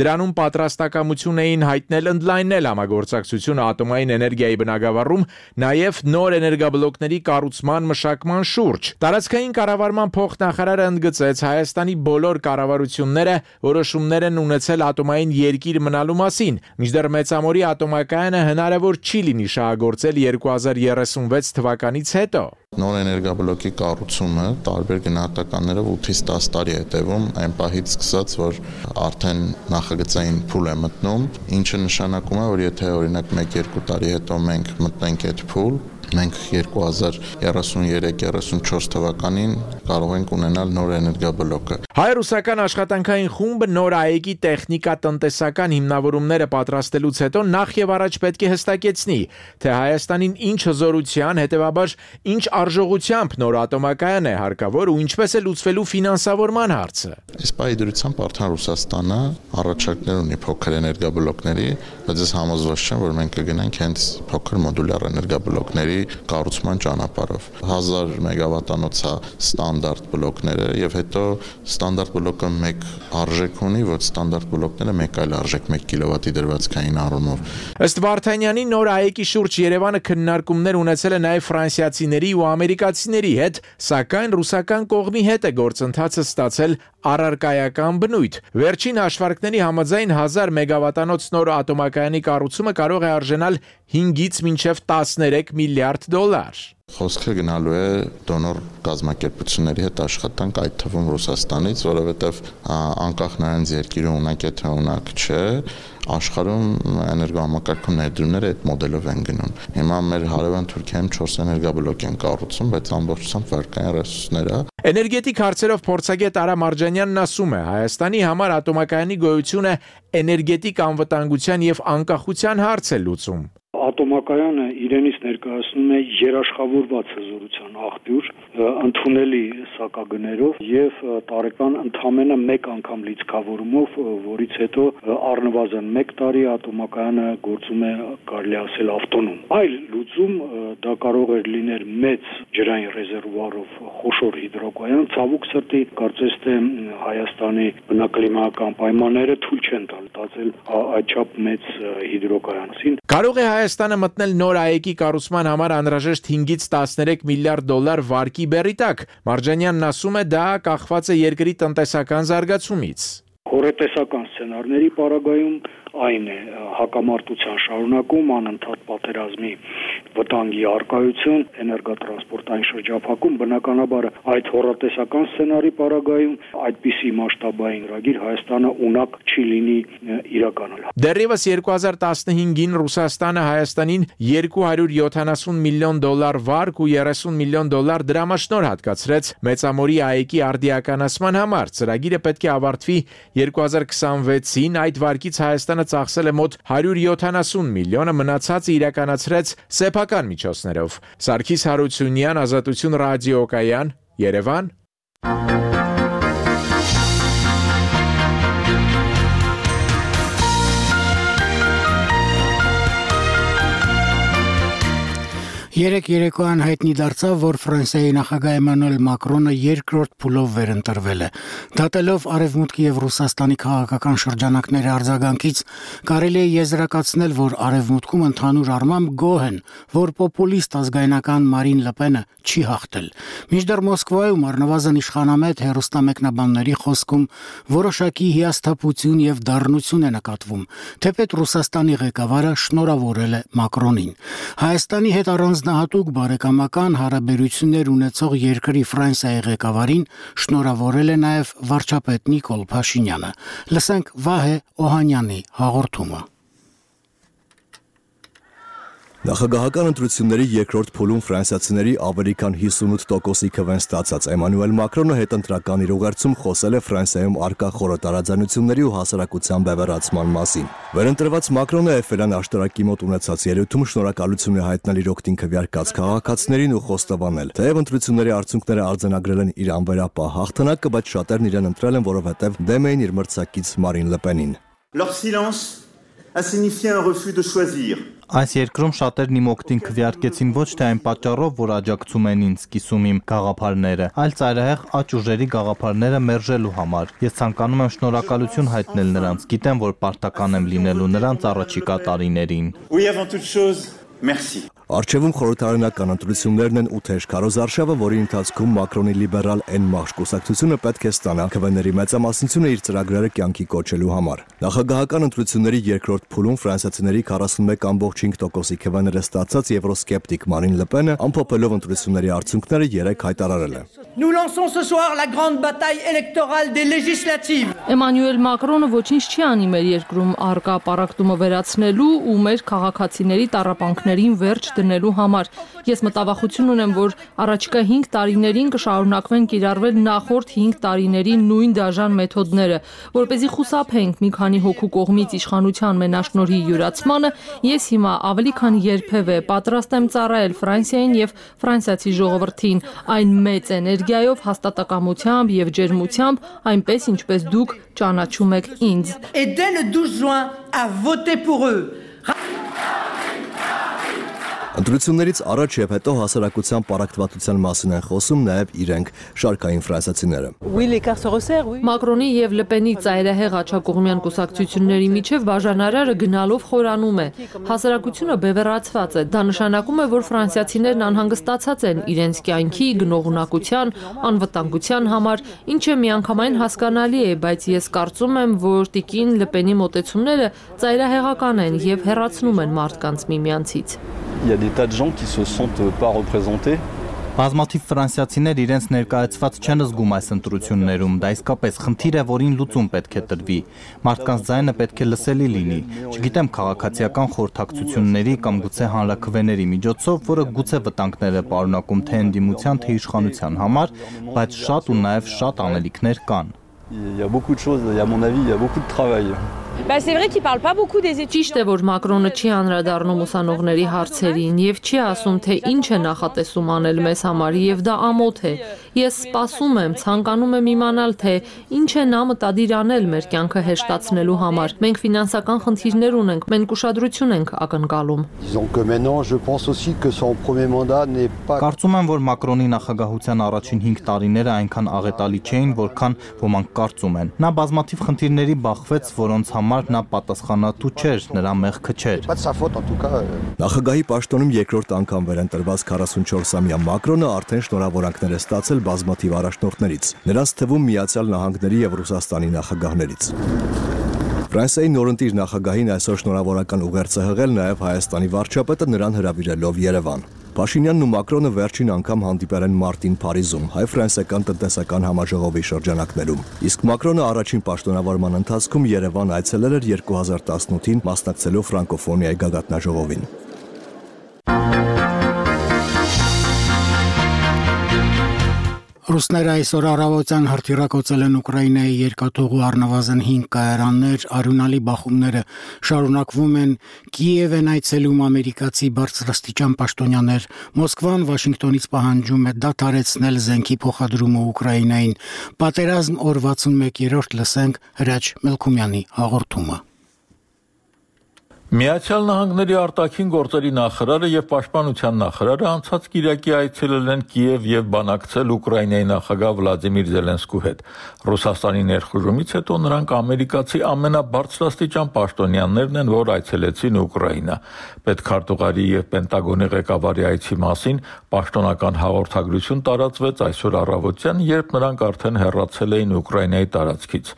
դրանում պատրաստակամություն էին հայտնել ընդլայնել համագործակցությունը ատոմային էներգիայի բնագավառում, նաև նոր էներգաբլոկների կառուցման մշակման շուրջ։ Տարածքային կառավարման փոխնախարարը ընդգծեց Հայաստանի բոլոր կառավարությունները որոշումներ են ունեցել ատոմային երկիր մնալու մասին, մինչդեռ Մեծամորի ատոմակայանը հնարավոր չի լինի շահագործել երկու հազար երեսունվեց թվականից հետո։ Նոր էներգաբլոկի կառուցումը տարբեր գնահատականներով ութից տասը տարի է տևում, այն պահից սկսած, որ արդեն նախագծային փուլ է մտնում, ինչը նշանակում է, որ եթե օրինակ մեկ-երկու տարի հետո մենք մտնենք այդ փուլ, մենք երկու հազար երեսունյուրեք երեսունչորս թվականին կարող ենք ունենալ նոր էներգաբլոկը։ Հայ-ռուսական աշխատանքային խումբը նոր ԱԵԿ-ի տեխնիկա-տնտեսական հիմնավորումները պատրաստելուց հետո նախ եւ առաջ պետք է հստակեցնի, թե Հայաստանին ինչ հզորության, հետեւաբար ինչ արժողությամբ նոր ատոմակայան է հարկավոր ու ինչպես է լուծվելու ֆինանսավորման հարցը։ Այս պայդրությամբ արդեն Ռուսաստանը առաջարկներ ունի փոքր էներգաբլոկների, բայց ես համոզված չեմ, որ մենք կգնանք հենց փոքր մոդուլյար էներգաբլոկների կառուցման ճանապարհով։ հազար մեգավատանոց է ստանդարտ բլոկները եւ հետո ստանդարտ բլոկը մեկ արժեք ունի, ոչ ստանդարտ բլոկները մեկ այլ արժեք մեկ կիլովատի դրվածքային առումով։ Ըստ Վարդանյանի նոր ԱԵԿ-ի շուրջ Երևանը քննարկումներ ունեցել է նաև ֆրանսիացիների ու ամերիկացիների հետ, սակայն ռուսական կողմի հետ է գործընթացը ստացել առարկայական բնույթ։ Վերջին հաշվարկների համաձայն հազար մեգավատանոց նոր ատոմակայանի կառուցումը կարող է արժենալ հինգից մինչև տասներեք միլիարդ դոլար։ Խոսքը գնալու է դոնոր կազմակերպությունների հետ աշխատանք, այդ թվում Ռուսաստանից, որովհետև անկախ նրանց երկիրը ունակ է թե ունակ չէ, աշխարհում էներգոհամակարգում ներդրումները այդ մոդելով են գնում։ Հիմա մեր հարևան Թուրքիայում չորս էներգաբլոկ են կառուցում, բայց ամբողջությամբ վարկային ռեսուրսներ է։ Էներգետիկ հարցերով փորձագետ Արա Մարջանյանն ասում է, Հայաստանի համար ատոմակայանի գոյությունը էներգետիկ անվտանգության եւ անկախության հարց է լուծում։ Ատոմակայանը իրենից ներկայացնում է երաշխավորված հզորության աղբյուր, ընդունելի սակագներով եւ տարեկան ընդամենը մեկ անգամ լիցքավորումով, որից հետո առնվազն մեկ տարի ատոմակայանը գործում է, կարելի ասել, ավտոնոմ։ Այլ լուծում դա կարող է լինել մեծ ջրային ռեզերվուարով խոշոր հիդրոկայան, ցավոք սրտի, կարծես թե Հայաստանի բնակլիմայական պայմանները թույլ չեն տալ տածել այդչափ մեծ հիդրոկայանին։ Կարող է Հայաստանը մտնել նոր ԱԵԿ-ի կառուցման համար անհրաժեշտ հինգից տասներեք միլիարդ դոլար վարկի բեռի տակ։ Մարջանյանն ասում է, դա կախված է երկրի տնտեսական զարգացումից։ Հորետեսական սցենարների պարագայում այն է հակամարտության շարունակում, անընդհատ պատերազմի վտանգի արկայություն, էներգոտրանսպորտային շրջափակում, բնականաբար այդ հորատեսական սցենարի պարագայում այդպիսի մասշտաբային ծրագիր Հայաստանը ունակ չի լինի իրականալ։ Դեռևս երկու հազար տասնհինգին Ռուսաստանը Հայաստանին երկու հարյուր յոթանասուն միլիոն դոլար վարկ ու երեսուն միլիոն դոլար դրամաշնոր հատկացրեց Մեծամորի ԱԵԿ-ի արդիականացման համար։ Ծրագիրը պետք է ավարտվի երկու հազար քսանվեցին, այդ վարկից Հայաստանը ծախսել է մոտ հարյուր յոթանասուն միլիոնը, մնացածը իրականացրեց սեփական միջոցներով։ Սարգիս Հարությունյան, Ազատություն ռադիոկայան, Երևան։ Երեք երեկոյան հայտնի դարձավ, որ Ֆրանսիայի նախագահ Էմանուել Մակրոնը երկրորդ փուլով վերընտրվել է։ Դատելով Արևմուտքի եւ Ռուսաստանի քաղաքական շրջանակների արձագանքից, կարելի է եզրակացնել, որ Արևմուտքում ընդհանուր առմամբ գոհ են, որ պոպուլիստ ազգայնական Մարին Լպենը չի հաղթել։ Մինչդեռ Մոսկվայում առնվազն իշխանամետ հեռուստամեկնաբանների խոսքում որոշակի հիասթափություն եւ դառնություն է նկատվում, թեպետ Ռուսաստանի ղեկավարը շնորհավորել է Մակրոնին։ Հայաստանի հետ առանձնահատուկ բարեկամական հարաբերություններ ունեցող երկրի Ֆրանսիայի ղեկավարին շնորհավորել է նաև վարչապետ Նիկոլ Փաշինյանը։ Լսենք Վահե Օհանյանի հաղորդումը։ Նախագահական ընտրությունների երկրորդ փուլում ֆրանսիացիների ավելի քան հիսունութ տոկոսի քվեն ստացած Էմանուել Մակրոնը հետընտրական իր ուղերձում խոսել է Ֆրանսիայում առկա խորը տարաձայնությունների ու հասարակության բևեռացման մասին։ Վերընտրված Մակրոնը Էֆելյան աշտարակի մոտ ունեցած ելույթում շնորհակալություն է հայտնել իր օգտին քվեարկած քաղաքացիներին ու խոստովանել, թեև ընտրությունների արդյունքները արձանագրել են իր անվերապահ հաղթանակը, բայց շատերն իրեն ընտրել են, որովհետև դեմ էին իր մրցակից Մարին Լպենին։ Leur silence a signifié un refus de choisir. Այս երկրում շատերն իմ օգտին քվեարկեցին ոչ թե այն պատճառով, որ աջակցում են ինձ, կիսում իմ գաղափարները, այլ ծայրահեղ աճ ուժերի գաղափարները մերժելու համար։ Ես ցանկանում եմ շնորհակալություն հայտնել նրանց, գիտեմ, որ պարտական եմ լինելու նրանց առաջիկա տարիներին։ Merci. Արչևում խորհրդարանական ընտրություններն են ու թեժ քարոզարշավը, որի ընթացքում Մակրոնի լիբերալ Էն Մահշ կուսակցությունը պետք է ստանա քվեների մեծամասնությունը իր ծրագրերը կյանքի կոչելու համար։ Նախագահական ընտրությունների երկրորդ փուլում ֆրանսիացիների քառասունմեկ կόμμα հինգ տոկոսի քվեները ստացած եվրոսկեպտիկ Մարին Լպենը ամփոփելով ընտրությունների արդյունքները երեկ հայտարարել է։ Nous lançons ce soir la grande bataille électorale des législatives. Էմանուել Մակրոնը ոչինչ չի անի մեր երկրում առկա պարակտումը վերացնելու ու մեր քաղաքացիների տառապանքներին վերջ դնելու համար։ Ես մտավախություն ունեմ, որ առաջիկա հինգ տարիներին կշարունակվեն կիրառվել նախորդ հինգ տարիների նույն դաժան մեթոդները, որպեսզի խուսափենք մի քանի հոգու կողմից իշխանության մենաշնորհի յուրացմանը, ես հիմա ավելի քան երբևէ պատրաստ եմ ծառայել Ֆրանսիային եւ ֆրանսիացի ժողովրդին այն մեծ էներգիայով, հաստատակամությամբ եւ ջերմությամբ, այնպես ինչպես դուք ճանաչում եք ինձ։ Et dès le douze juin à voter pour eux. Ընտրություններից առաջ եւ հետո հասարակության պարակտվածության մասին են խոսում նաեւ իրենք շարքային ֆրանսիացիները։ Մակրոնի եւ Լպենի ծայրահեղ աչակողմյան կուսակցությունների միջև բաժանարարը գնալով խորանում է։ Հասարակությունը բևեռացված է։ Դա նշանակում է, որ ֆրանսիացիներն անհանգստացած են իրենց կյանքի, գնողունակության, անվտանգության համար, ինչը միանգամայն հասկանալի է, բայց ես կարծում եմ, որ տիկին Լպենի մոտեցումները ծայրահեղական են եւ հեռացնում են մարդկանց միմյանցից։ Il y a des tas de gens qui se sentent pas représentés. Բազմաթիվ ֆրանսիացիներ իրենց ներկայացված չեն զգում այս ընտրություններում, դա իսկապես խնդիր է, որին լուծում պետք է տրվի։ Մարդկանց ձայնը պետք է լսելի լինի։ Չգիտեմ քաղաքացիական խորհրդակցությունների կամ գուցե հանրաքվեների միջոցով, որը գուցե վտանգներ է պարունակում թե ընդդիմության, թե իշխանության համար, բայց շատ ու նաև շատ անելիքներ կան։ Il y a beaucoup de choses, à mon avis, il y a beaucoup de travail. Bah c'est vrai qu'il parle pas beaucoup des études. Ճիշտ է, որ Մակրոնը չի անդրադառնում ուսանողների հարցերին եւ չի ասում, թե ինչ է նախատեսում անել մեզ համար եւ դա ամոթ է։ Ես սպասում եմ, ցանկանում եմ իմանալ, թե ինչ է նա մտադիր անել մեր կյանքը հեշտացնելու համար։ Մենք ֆինանսական խնդիրներ ունենք, մենք ուշադրություն ենք ակնկալում։ Disons que maintenant je pense aussi que son premier mandat n'est pas. Կարծում եմ, որ Մակրոնի նախագահության առաջին հինգ տարիները այնքան աղետալի չէին, որքան ոմանք կարծում են։ Նա բազմաթիվ խնդիրների բախվեց, որոնց համար նա պատասխանատու չէր, նրա մեղքը չէր։ Նախագահի պաշտոնում երկրորդ անգամ վերընտրված քառասունչորսամյա Մակրոնը արդեն շնորհավորանքներ է ստացել բազմաթիվ առաջնորդներից, նրանց թվում Միացյալ Նահանգների եւ Ռուսաստանի նախագահներից։ Ֆրանսիայի նորընտիր նախագահին այսօր շնորհավորական ուղերձ է հղել նաև Հայաստանի վարչապետը նրան հրավիրելով Երևան։ Փաշինյանն ու Մակրոնը վերջին անգամ հանդիպել են մարտին Փարիզում հայ-ֆրանսիական տնտեսական համաժողովի շրջանակներում։ Իսկ Մակրոնը առաջին պաշտոնավարման ընթացքում Երևան այցելել էր երկու հազար տասնութին մասնակցելու ֆրանկոֆոնիայի գագաթնաժողովին։ Ռուսները այսօր առավոտյան հրթիռակոծել են Ուկրաինայի երկաթուղու առնվազն հինգ կայարաններ, արյունալի բախումները շարունակվում են, Կիև են այցելում ամերիկացի բարձրաստիճան պաշտոնյաներ, Մոսկվան Վաշինգտոնից պահանջում է դադարեցնել զենքի փոխադրումը Ուկրաինային, պատերազմ օր վաթսունմեկերորդ լսենք Հրաչ Մելքումյանի հաղորդումը։ Միացյալ Նահանգների արտաքին գործերի նախարարը եւ պաշտպանության նախարարը անցած կիրակի այցելել են Կիև եւ բանակցել Ուկրաինայի նախագահ Վլադիմիր Զելենսկու հետ։ Ռուսաստանի ներխուժումից հետո նրանք ամերիկացի ամենաբարձրաստիճան պաշտոնյաներն են, որ այցելեցին Ուկրաինա։ Պետքարտուղարի եւ Պենտագոնի ղեկավարի այցի մասին պաշտոնական հաղորդագրություն տարածվեց այսօր առավոտյան, երբ նրանք արդեն հեռացել էին Ուկրաինայի տարածքից։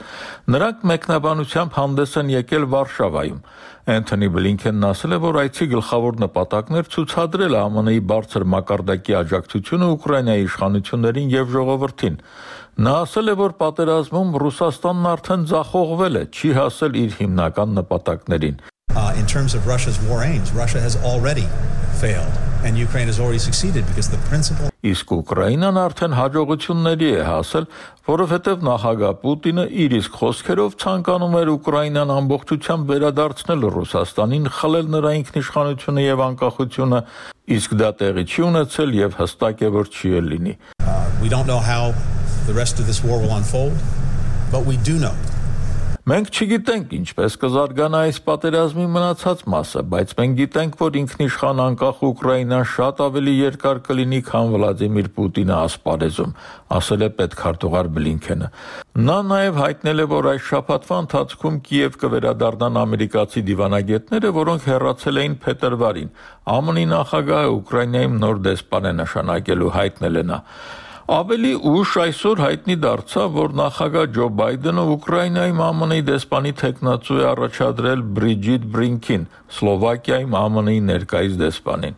Նրանք մեկնաբանությամբ հանդես են եկել Վարշավայում։ Անթոնի Բլինքենն ասել է, որ այցի գլխավոր նպատակն էր ցուցադրել Α M N-ի բարձր մակարդակի աջակցությունը Ուկրաինայի իշխանություններին եւ ժողովրդին։ Նա ասել է, որ պատերազմում Ռուսաստանն արդեն ձախողվել է, չի հասել իր հիմնական նպատակներին։ Uh, in terms of Russia's war aims, Russia has already failed and Ukraine has already succeeded because the principle Իսկ Ուկրաինան արդեն հաջողությունների է հասել, որովհետև նախագահ Պուտինը իր իսկ խոսքերով ցանկանում էր Ուկրաինան ամբողջությամբ վերադարձնել Ռուսաստանին, խլել նրա ինքնիշխանությունը եւ անկախությունը, իսկ դա տեղի չի ունեցել եւ հստակ է, որ չի էլ լինի։ uh, we don't know how the rest of this war will unfold, but we do know Մենք չգիտենք ինչպես կզարգանա այս պատերազմի մնացած մասը, բայց մենք գիտենք, որ ինքնիշխան անկախ Ուկրաինան շատ ավելի երկար կլինի, քան Վլադիմիր Պուտինը ասպարեզում, ասել է պետքարտուղար Բլինքենը։ Նա նաև հայտնել է, որ այս շաբաթվա ընթացքում Կիև կվերադառնան ամերիկացի դիվանագետները, որոնք հեռացել էին փետրվարին։ ԱՄՆ-ի նախագահը Ուկրաինայում նոր դեսպան է նշանակելու, հայտնել է նա։ Ավելի ուշ այսօր հայտնի դարձավ, որ նախագահ Ջո Բայդենը Ուկրաինայում ԱՄՆ-ի դեսպանի թեկնածու է առաջադրել Բրիջիտ Բրինքին, Սլովակիայում ԱՄՆ-ի ներկայիս դեսպանին։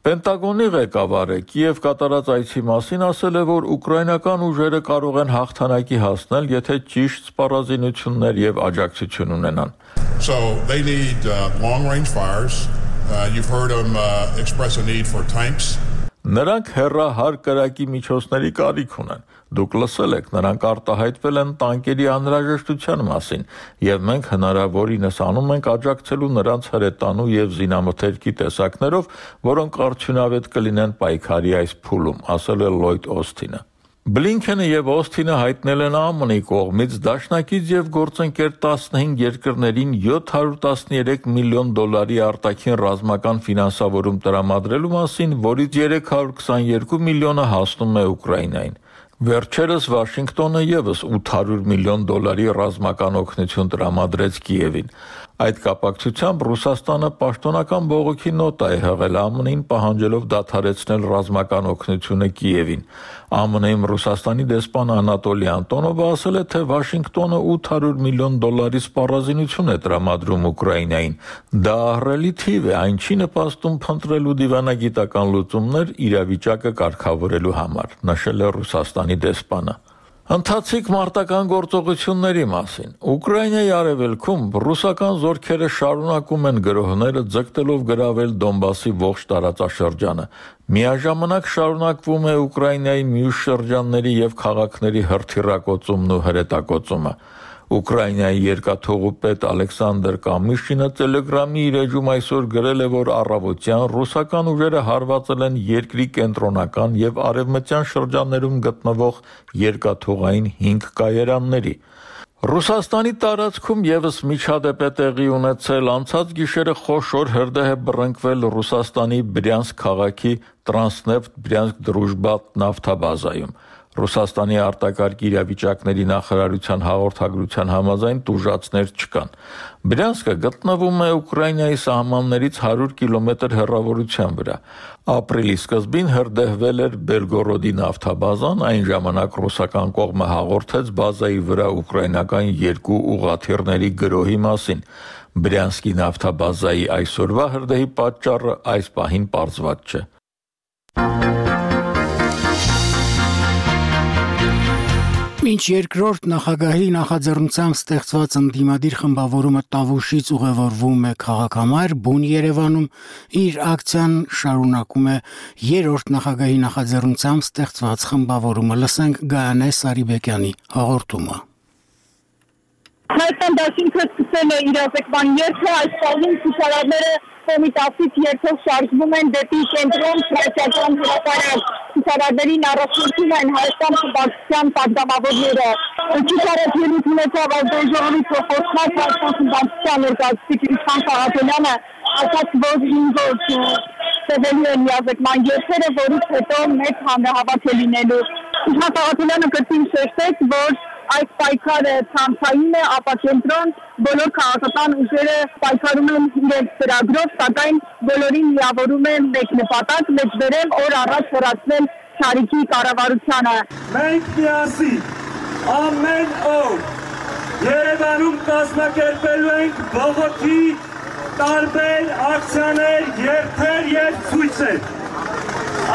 Պենտագոնի ղեկավարը Կիև կատարած այցի մասին ասել է, որ ուկրաինական ուժերը կարող են հաղթանակի հասնել, եթե ճիշտ սպառազինություններ եւ աջակցություն ունենան։ So they need uh, long-range fires. Uh, you've heard them uh, express a need for tanks. Նրանք հեռահար կրակի միջոցների կարիք ունեն։ Դուք լսել եք, նրանք արտահայտվել են տանկերի անհրաժեշտության մասին, եւ մենք հնարավորինս անում ենք աջակցելու նրանց հրետանու եւ զինամթերքի տեսակներով, որոնք արդյունավետ կլինեն պայքարի այս փուլում, ասել է Լլոյդ Օսթինը։ Բլինքենը եւ Օսթինը հայտնել են ԱՄՆ-ի կողմից դաշնակից եւ գործընկեր տասնհինգ երկրներին յոթ հարյուր տասներեք միլիոն դոլարի արտաքին ռազմական ֆինանսավորում տրամադրելու մասին, որից երեք հարյուր քսաներկու միլիոնը հասնում է Ուկրաինային։ Վերջերս Վաշինգտոնը եւս ութ հարյուր միլիոն դոլարի ռազմական օգնություն տրամադրեց Կիևին։ Այդ կապակցությամբ Ռուսաստանը պաշտոնական բողոքի նոտա է հղել ԱՄՆ-ին, պահանջելով դադարեցնել ռազմական օգնությունը Կիևին։ ԱՄՆ-ում Ռուսաստանի դեսպան Անատոլի Անտոնովը ասել է, թե Վաշինգտոնը ութ հարյուր միլիոն դոլարի սպառազինություն է տրամադրում Ուկրաինային։ Դա ահռելի թիվ է, այն չի նպաստում փնտրելու դիվանագիտական լուծումներ իրավիճակը կարգավորելու համար, նշել է Ռուսաստանի դեսպանը։ Ընթացիկ մարտական գործողությունների մասին։ Ուկրաինայի արևելքում ռուսական զորքերը շարունակում են գրոհները ձգտելով գրավել Դոնբասի ողջ տարածաշրջանը։ Միաժամանակ շարունակվում է Ուկրաինայի մյուս շրջանների եւ քաղաքների հրթիռակոծումն ու հրետակոծումը։ Ուկրաինայի երկաթուղու պետ Ալեքսանդր Կամիշինը Տելեգրամի իր էջում այսօր գրել է, որ առավոտյան ռուսական ուժերը հարվածել են երկրի կենտրոնական եւ արևմտյան շրջաններում գտնվող երկաթուղային հինգ կայարանների։ Ռուսաստանի տարածքում եւս միջադեպ է տեղի ունեցել, անցած գիշերը խոշոր հրդեհ է բռնկվել Ռուսաստանի Բրյանսկ քաղաքի Տրանսնեֆտ Բրյանսկ Դրուժբա նավթաբազայում։ Ռուսաստանի արտակարգ իրավիճակների նախարարության հաղորդագրության համաձայն տուժածներ չկան։ Բրյանսկը գտնվում է Ուկրաինայի սահմաններից հարյուր կիլոմետր հեռավորության վրա։ Ապրիլի սկզբին հրդեհվել էր Բելգորոդի նավթաբազան, այն ժամանակ ռուսական կողմը հաղորդեց բազայի վրա ուկրաինական երկու ուղղաթիռների գրոհի մասին։ Բրյանսկի նավթաբազայի այսօրվա հրդեհի պատճառը այս պահին պարզված չէ։ Մինչ երկրորդ նախագահի նախաձեռնությամբ ստեղծված ընդդիմադիր խմբավորումը Տավուշից ուղևորվում է քաղաքամայր, բուն Երևանում իր ակցիան շարունակում է երրորդ նախագահի նախաձեռնությամբ ստեղծված խմբավորումը։ Լսենք Գայանե Սարիբեկյանի հաղորդումը։ Հայաստան դաշինքը սկսել է իրազեկման երթը, այս պահին ցուցարարները Կոմիտասից երթով շարժվում են դեպի կենտրոն ֆրանսիական հրապարակ։ Ցուցարարներին առաջնորդում են Հայաստան խմբակցության պատգամավորները։ Ցուցարարը ելույթ ունեցավ ազգաժողովի փոխորդած Հայաստան խմբակցության ներկայացուցիչ Իշխան Խաղաղյանը, ասաց, որ հինգ օր տևելու են իրազեկման երթերը, որից հետո մեծ հանրահավաք է լինելու։ Իշխան Խաղաղյանը կրկին շեշտեց, որ այս պայքարը ցանցային է, ապա կենտրոն բոլոր քաղաքական ուժերը պայքարում են իրենց ծրագրով, սակայն բոլորին միավորում է մեկ նպատակ՝ մեջբերել օր առաջ հեռացնել Շարիքի կառավարությանը։ Մենք միասին ամեն օր Երևանում կազմակերպելու ենք բողոքի տարբեր ակցիաներ, երթեր և ցույցեր։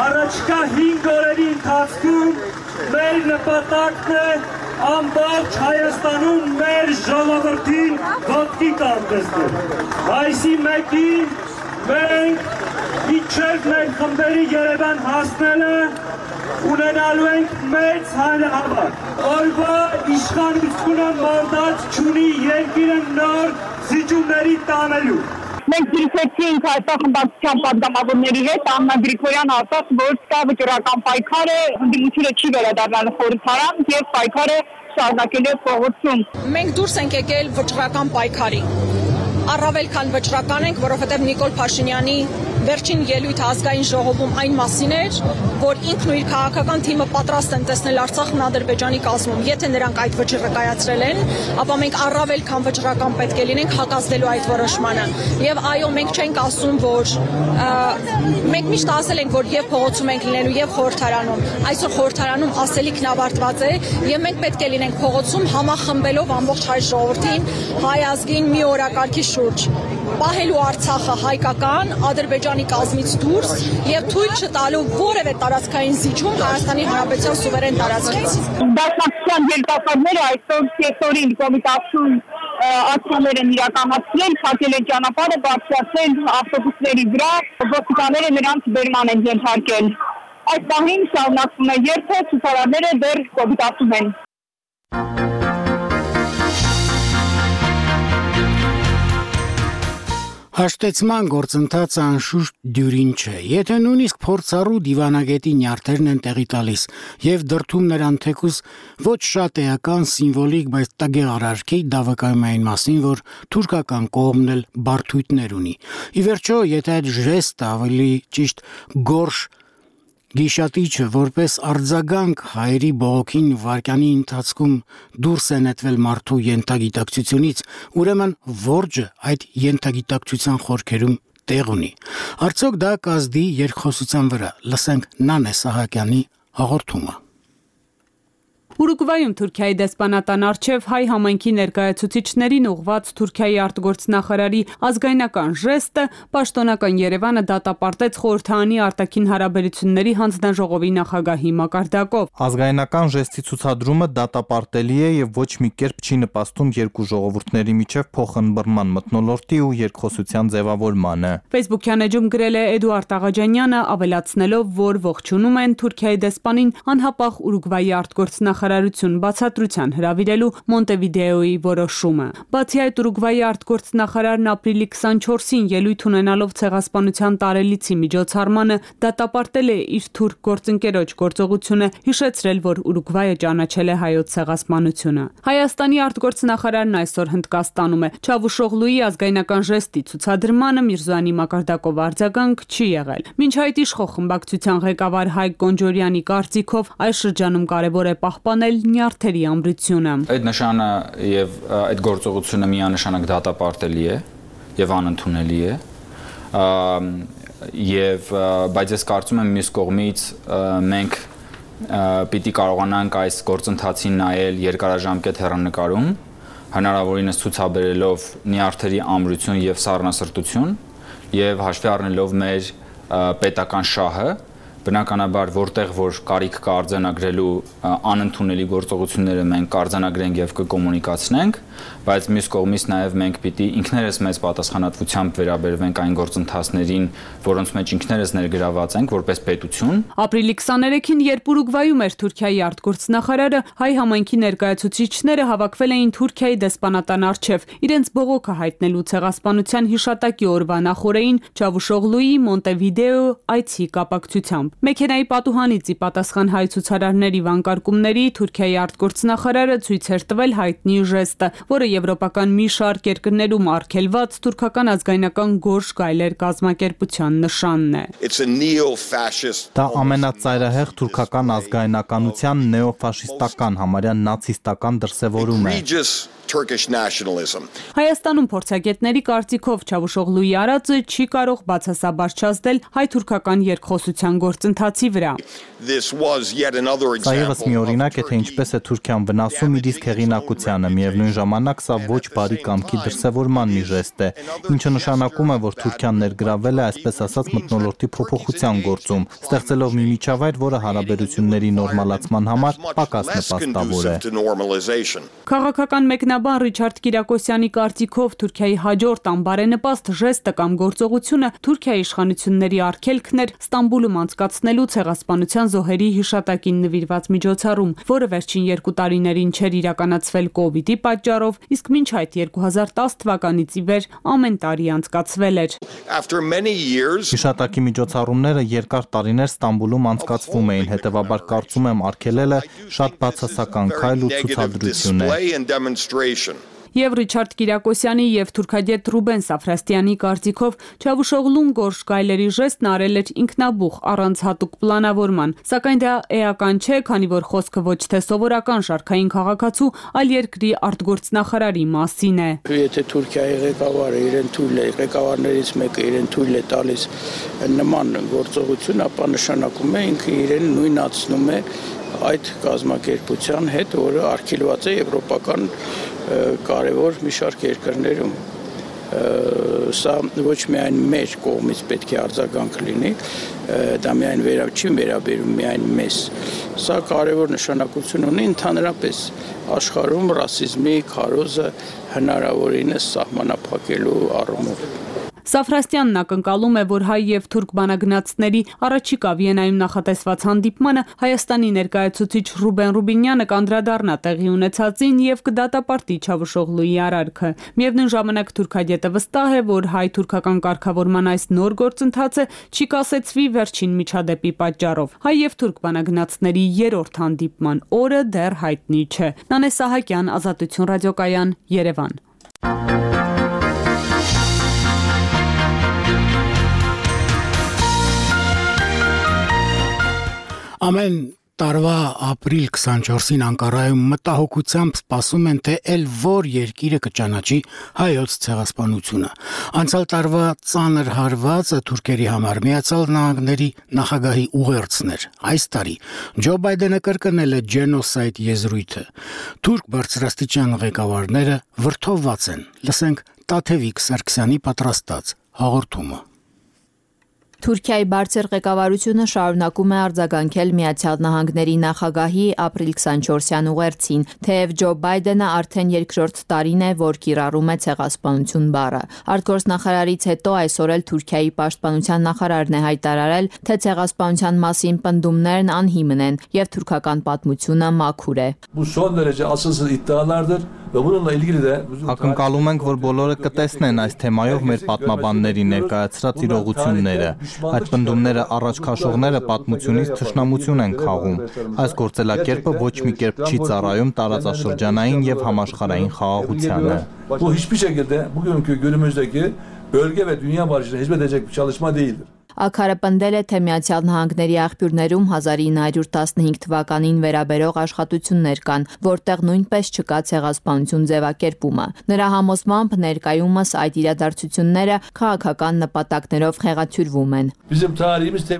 Առաջիկա հինգ օրերի ընթացքում մեր նպատակն է ամբողջ Հայաստանում մեր ժողովրդին ոտքի կանգնեցնել։ Այսի մեկին մենք մինչև մեր խմբերի Երևան հասնելը ունենալու ենք մեծ հանրահավաք։ Օրվա իշխանությունը մանդատ չունի երկիրը նոր զիջումների տանելու։ Մենք զրուցեցինք Հայաստան խմբակցության պատգամավորների հետ, Աննա Գրիգորյանը ասաց, որ սա վճռական պայքար է, ընդդիմությունը չի վերադառնալու խորհրդարան եւ պայքարը շարունակելու է փողոցում։ Մենք դուրս ենք եկել վճռական պայքարի։ Առավել քան վճռական ենք, որովհետև Նիկոլ Փաշինյանի վերջին ելույթը ազգային ժողովում այն մասին էր, որ ինքն ու իր քաղաքական թիմը պատրաստ են տեսնել Արցախն Ադրբեջանի կազմում։ Եթե նրանք այդ վճիռը կայացրել են, ապա մենք առավել քան վճռական պետք է լինենք հակազդելու այդ որոշմանը։ Եվ այո, մենք չենք ասում, որ մենք միշտ ասել ենք, որ եւ փողոցում ենք լինելու եւ խորհրդարանում։ Այսօր խորհրդարանում ասելիքն ավարտված է եւ մենք պետք է լինենք փողոցում համախմբելով ամբողջ հայ ժողովրդին, հայ ազգին մի օրակարգի շուրջ, պահելու Արցախը հայկական, Ադրբեջանի կազմից դուրս եւ թույլ չտալու որևէ տարածքային զիջում Հայաստանի Հանրապետության սուվերեն տարածքից։ Դաշնակցության ղեկավարները այսօր սեկտորին կոմիտասում ակցիաներ են իրականացրել, փակել են ճանապարհը, բարձրացել ավտոբուսների վրա, ոստիկանները նրանց բերման են ենթարկել։ Այս պահին շարունակվում է երթը, ցուցարարները դեռ կոմիտասում են։ Հաշտեցման գործընթացը անշուշտ դյուրին չէ, եթե նույնիսկ փորձառու դիվանագետի նյարդերն են տեղի տալիս եւ դրդում նրան թեկուզ ոչ շատ էական սիմվոլիկ, բայց տագեղարարքի դա վկայում է այն մասին, որ թուրքական կողմն էլ բարդույթներ ունի։ Ի վերջո, եթե այդ ժեստը ավելի ճիշտ գորշ Գիշատիչը որպես արձագանք հայերի բողոքին վարկյանի ընթացքում դուրս է նետվել մարդու յենթագիտակցությունից, ուրեմն որջը այդ յենթագիտակցության խորքերում տեղ ունի։ Արդյոք դա կազդի երկխոսության վրա, լսենք Նանե Սահակյանի հաղորդումը։ Ուրուգվայում Թուրքիայի դեսպանատան առջև հայ համայնքի ներկայացուցիչներին ուղված Թուրքիայի արտգործնախարարի ազգայնական ժեստը պաշտոնական Երևանը դատապարտեց խորհրդարանի արտաքին հարաբերությունների հանձնաժողովի նախագահի մակարդակով։ Ազգայնական ժեստի ցուցադրումը դատապարտելի է եւ ոչ մի կերպ չի նպաստում երկու ժողովուրդների միջև փոխըմբռնման մթնոլորտի ու երկխոսության ձևավորմանը։ Facebook-յան էջում գրել է Էդուարդ Աղաջանյանը, ավելացնելով, որ ողջունում են Թուրքիայի դեսպանին անհապաղ Ուրուգվայի արտգործնախարար բացատրության հրավիրելու Մոնտեվիդեոյի որոշումը։ Բացի այդ, Ուրուգվայի արտգործնախարարն ապրիլի քսանչորսին ելույթ ունենալով ցեղասպանության տարելիցի միջոցառմանը դատապարտել է իր թուրք գործընկերոջ գործողությունը, հիշեցրել, որ Ուրուգվայը ճանաչել է հայոց ցեղասպանությունը։ Հայաստանի արտգործնախարարն այսօր Հնդկաստանում է։ Չավուշօղլուի ազգայնական ժեստի ցուցադրմանը Միրզոյանի մակարդակով արձագանք չի եղել։ Մինչ այդ իշխող խմբակցության ղեկավար Հայկ Գոնջորյանի կարծիքով այս շրջանում կարևոր է պահպանել նյարդերի ամրությունը։ Այդ նշանը եւ այդ գործողությունը միանշանակ դատապարտելի է եւ անընդունելի է։ Եվ բայց ես կարծում եմ մյուս կողմից մենք պիտի կարողանանք այս գործընթացին նայել երկարաժամկետ հեռանկարում, հնարավորինս ցուցաբերելով նյարդերի ամրություն եւ սառնասրտություն եւ հաշվի առնելով մեր պետական շահը, բնականաբար որտեղ որ կարիք կա արձանագրելու անընդունելի գործողությունները մենք կարձանագրենք եւ կկոմունիկացնենք, բայց մյուս կողմից նաեւ մենք պիտի ինքներս մեծ պատասխանատվությամբ վերաբերվենք այն գործընթացներին, որոնց մեջ ինքներս ներգրաված ենք որպես պետություն։ Ապրիլի քսաներեքին, երբ Ուրուգվայում էր Թուրքիայի արտգործնախարարը, հայ համայնքի ներկայացուցիչները հավաքվել էին Թուրքիայի դեսպանատան առջև, իրենց բողոքը հայտնելու ցեղասպանության հիշատակի օրվա նախօրեին Չավուշօղլուի Մոնտեվիդեո այցի կապակցությամբ։ Մեքենայի պատուհանից ի պատասխան հայ ցուցարարների վանկարկումների Թուրքիայի արտգործնախարարը ցույց էր տվել հայտնի ժեստը, որը եվրոպական մի շարք երկրներում արգելված թուրքական ազգայնական գորշ գայլեր կազմակերպության նշանն է։ Դա ամենածայրահեղ թուրքական ազգայնականության նեոֆաշիստական, համարյա նացիստական դրսևորում է։ Հայաստանում փորձագետների կարծիքով Չավուշօղլուի արածը չի կարող բացասաբար չազդել հայ-թուրքական երկխոսության գործընթացի վրա։ Սա ևս մի օրինակ է, թե ինչպես է Թուրքիան վնասում իր իսկ հեղինակությանը, միևնույն ժամանակ սա ոչ բարի կամքի դրսևորման մի ժեստ է, ինչը նշանակում է, որ Թուրքիան ներգրավել է այսպես ասած մթնոլորտի փոփոխության գործում, ստեղծելով մի միջավայր, որը հարաբերությունների նորմալացման համար պակաս նպաստավոր է։ Քաղաքական մեկնաբան Ռիչարդ Կիրակոսյանի կարծիքով Թուրքիայի հաջորդ անբարենպաստ ժեստը կամ գործողությունը Թուրքիայի իշխանությունների արգելքն էր Ստամբուլում անցկացվող զարգացնելու ցեղասպանության զոհերի հիշատակին նվիրված միջոցառում, որը վերջին երկու տարիներին չէր իրականացվել կովիդի պատճառով, իսկ մինչ այդ երկու հազար տասը թվականից ի վեր ամեն տարի անցկացվել էր։ Հիշատակի միջոցառումները երկար տարիներ Ստամբուլում անցկացվում էին, հետևաբար կարծում եմ արգելելը շատ բացասական քայլ ու ցուցադրություն է։ Եվ Ռիչարդ Կիրակոսյանի եւ թուրքագետ Ռուբեն Սաֆրաստյանի կարծիքով Չավուշօղլուն գորշ գայլերի ժեստն արել էր ինքնաբուխ առանց հատուկ պլանավորման, սակայն դա էական չէ, քանի որ խոսքը ոչ թե սովորական շարքային քաղաքացու, այլ երկրի արտգործնախարարի մասին է։ Եթե Թուրքիայի ղեկավարը իրեն թույլ է, ղեկավարներից մեկը իրեն թույլ է տալիս նման գործողություն, ապա նշանակում է ինքը իրեն նույնացնում է այդ կազմակերպության հետ, որը արգելված է եվրոպական կարևոր մի շարք երկրներում։ Սա ոչ միայն մեր կողմից պետք է արձագանք լինի, դա միայն վերա չի վերաբերում միայն մեզ։ Սա կարևոր նշանակություն ունի ընդհանրապես աշխարհում ռասիզմի քարոզը հնարավորինս սահմանափակելու առումով։ Սաֆրաստյանն ակնկալում է, որ հայ եւ թուրք բանագնացների առաջիկա Վիեննայում նախատեսված հանդիպմանը Հայաստանի ներկայացուցիչ Ռուբեն Ռուբինյանը կանդրադառնա տեղի ունեցածին եւ կդատապարտի Չավուշօղլուի արարքը։ Միևնույն ժամանակ թուրքագետը վստահ է, որ հայ-թուրքական կարգավորման այս նոր գործընթացը չի կասեցվի վերջին միջադեպի պատճառով։ Հայ եւ թուրք բանագնացների երրորդ հանդիպման օրը դեռ հայտնի չէ։ Նանե Սահակյան, Ազատություն ռադիոկայան, Երևան։ Ամեն տարվա ապրիլ քսանչորսին Անկարայում մտահոգությամբ սպասում են, թե ել որ երկիրը կճանաչի հայոց ցեղասպանությունը։ Անցյալ տարվա ծանր հարվածը թուրքերի համար Միացյալ Նահանգների նախագահի ուղերձն էր։ Այս տարի Ջո Բայդենը կրկնել է ջենոսայդ եզրույթը։ Թուրք բարձրաստիճան ղեկավարները վրդովված են։ Լսենք Տաթևիկ Սարգսյանի պատրաստած հաղորդումը։ Թուրքիայի բարձր ղեկավարությունը շարունակում է արձագանքել Միացյալ Նահանգների նախագահի ապրիլ քսանչորսյան ուղերձին, թեև Ջո Բայդենը արդեն երկրորդ տարին է, որ կիրառում է ցեղասպանություն բառը։ Արտգործնախարարից հետո այսօր էլ Թուրքիայի պաշտպանության նախարարն է հայտարարել, թե ցեղասպանության մասին պնդումներն անհիմն են եւ թուրքական պատմությունը մաքուր է։ Ակնկալում ենք, որ բոլորը կտեսնեն այս թեմայով մեր պատմաբանների ներկայացրած իրողությունները։ Այդ պնդումները առաջ քաշողները պատմությունից թշնամություն են քաղում։ Այս գործելակերպը ոչ մի կերպ չի ծառայում տարածաշրջանային եւ համաշխարհային խաղաղությանը։ Աքարը պնդել է, թե Միացյալ Նահանգների աղբյուրներում հազար ինը հարյուր տասնհինգ թվականին վերաբերող աշխատություններ կան, որտեղ նույնպես չկա ցեղասպանություն ձևակերպումը։ Նրա համոզմամբ ներկայումս այդ իրադարձությունները քաղաքական նպատակներով խեղաթյուրվում են։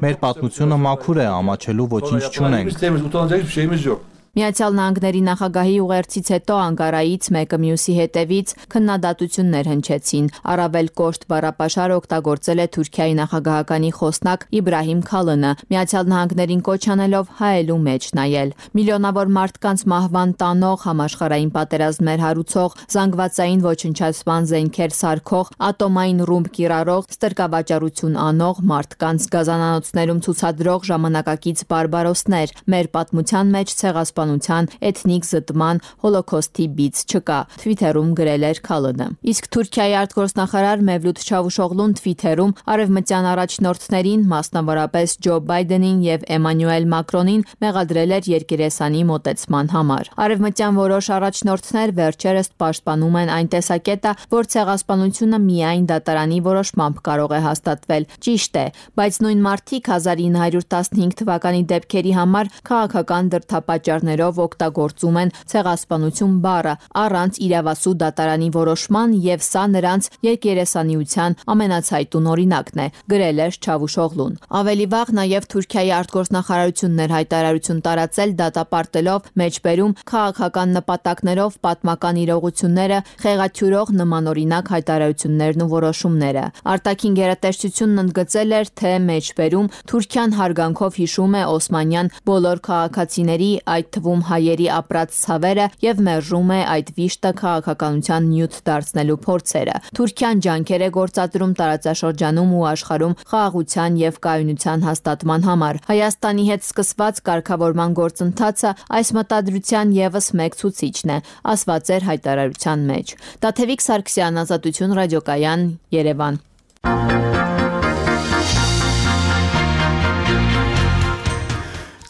Մեր պատմությունը մաքուր է, ամաչելու ոչինչ չունենք։ Միացյալ Նահանգների նախագահի ուղերձից հետո Անկարայից մեկը մյուսի հետևից քննադատություններ հնչեցին։ Առավել կոշտ բառապաշար օգտագործել է Թուրքիայի նախագահականի խոսնակ Իբրահիմ Քալինը, Միացյալ Նահանգներին կոչ անելով հայելու մեջ նայել։ Միլիոնավոր մարդկանց մահվան տանող, համաշխարհային պատերազմներ հարուցող, զանգվածային ոչնչացման զենքեր սարքող, ատոմային ռումբ կիրառող, ստրկավաճառություն անող, մարդկանց գազանանոցներում ցուցադրող ժամանակակից բարբարոսներ։ Մեր պատմության մեջ ցեղասպանություն էթնիկ զտման, հոլոքոստի բիծ չկա, Թվիթերում գրել էր Քալինը։ Իսկ Թուրքիայի արտգործնախարար Մևլութ Չավուշօղլուն Թվիթերում արևմտյան առաջնորդներին, մասնավորապես Ջո Բայդենին եւ Էմանուել Մակրոնին մեղադրել էր երկերեսանի մոտեցման համար։ Արևմտյան որոշ առաջնորդներ վերջերս պաշտպանում են այն տեսակետը, որ ցեղասպանությունը միայն դատարանի որոշմամբ կարող է հաստատվել։ Ճիշտ է, բայց նույն մարդիկ հազար ինը հարյուր տասնհինգ թվականի դեպքերի համար քաղաքական դրդապատճառ օգտագործում են ցեղասպանություն բառը առանց իրավասու դատարանի որոշման եւ սա նրանց երկերեսանիության ամենացայտուն օրինակն է, գրել էր Չավուշօղլուն։ Ավելի վաղ նաեւ Թուրքիայի արտգործնախարարությունն էր հայտարարություն տարածել դատապարտելով մեջբերում քաղաքական նպատակներով պատմական իրողությունները խեղաթյուրող նմանօրինակ հայտարարություններն ու որոշումները։ Արտաքին գերատեսչությունն ընդգծել էր, թե մեջբերում Թուրքիան հարգանքով հիշում է օսմանյան բոլոր քաղաքացիների, այդ թվում հայերի ապրած ցավերը եւ մերժում է այդ վիշտը քաղաքականության նյութ դարձնելու փորձերը։ Թուրքիան ջանքեր է գործադրում տարածաշրջանում ու աշխարհում խաղաղության եւ կայունության հաստատման համար։ Հայաստանի հետ սկսված կարգավորման գործընթացը այս մտադրության եւս մեկ ցուցիչն է, ասված էր հայտարարության մեջ։ Տաթևիկ Սարգսյան, Ազատություն ռադիոկայան, Երևան։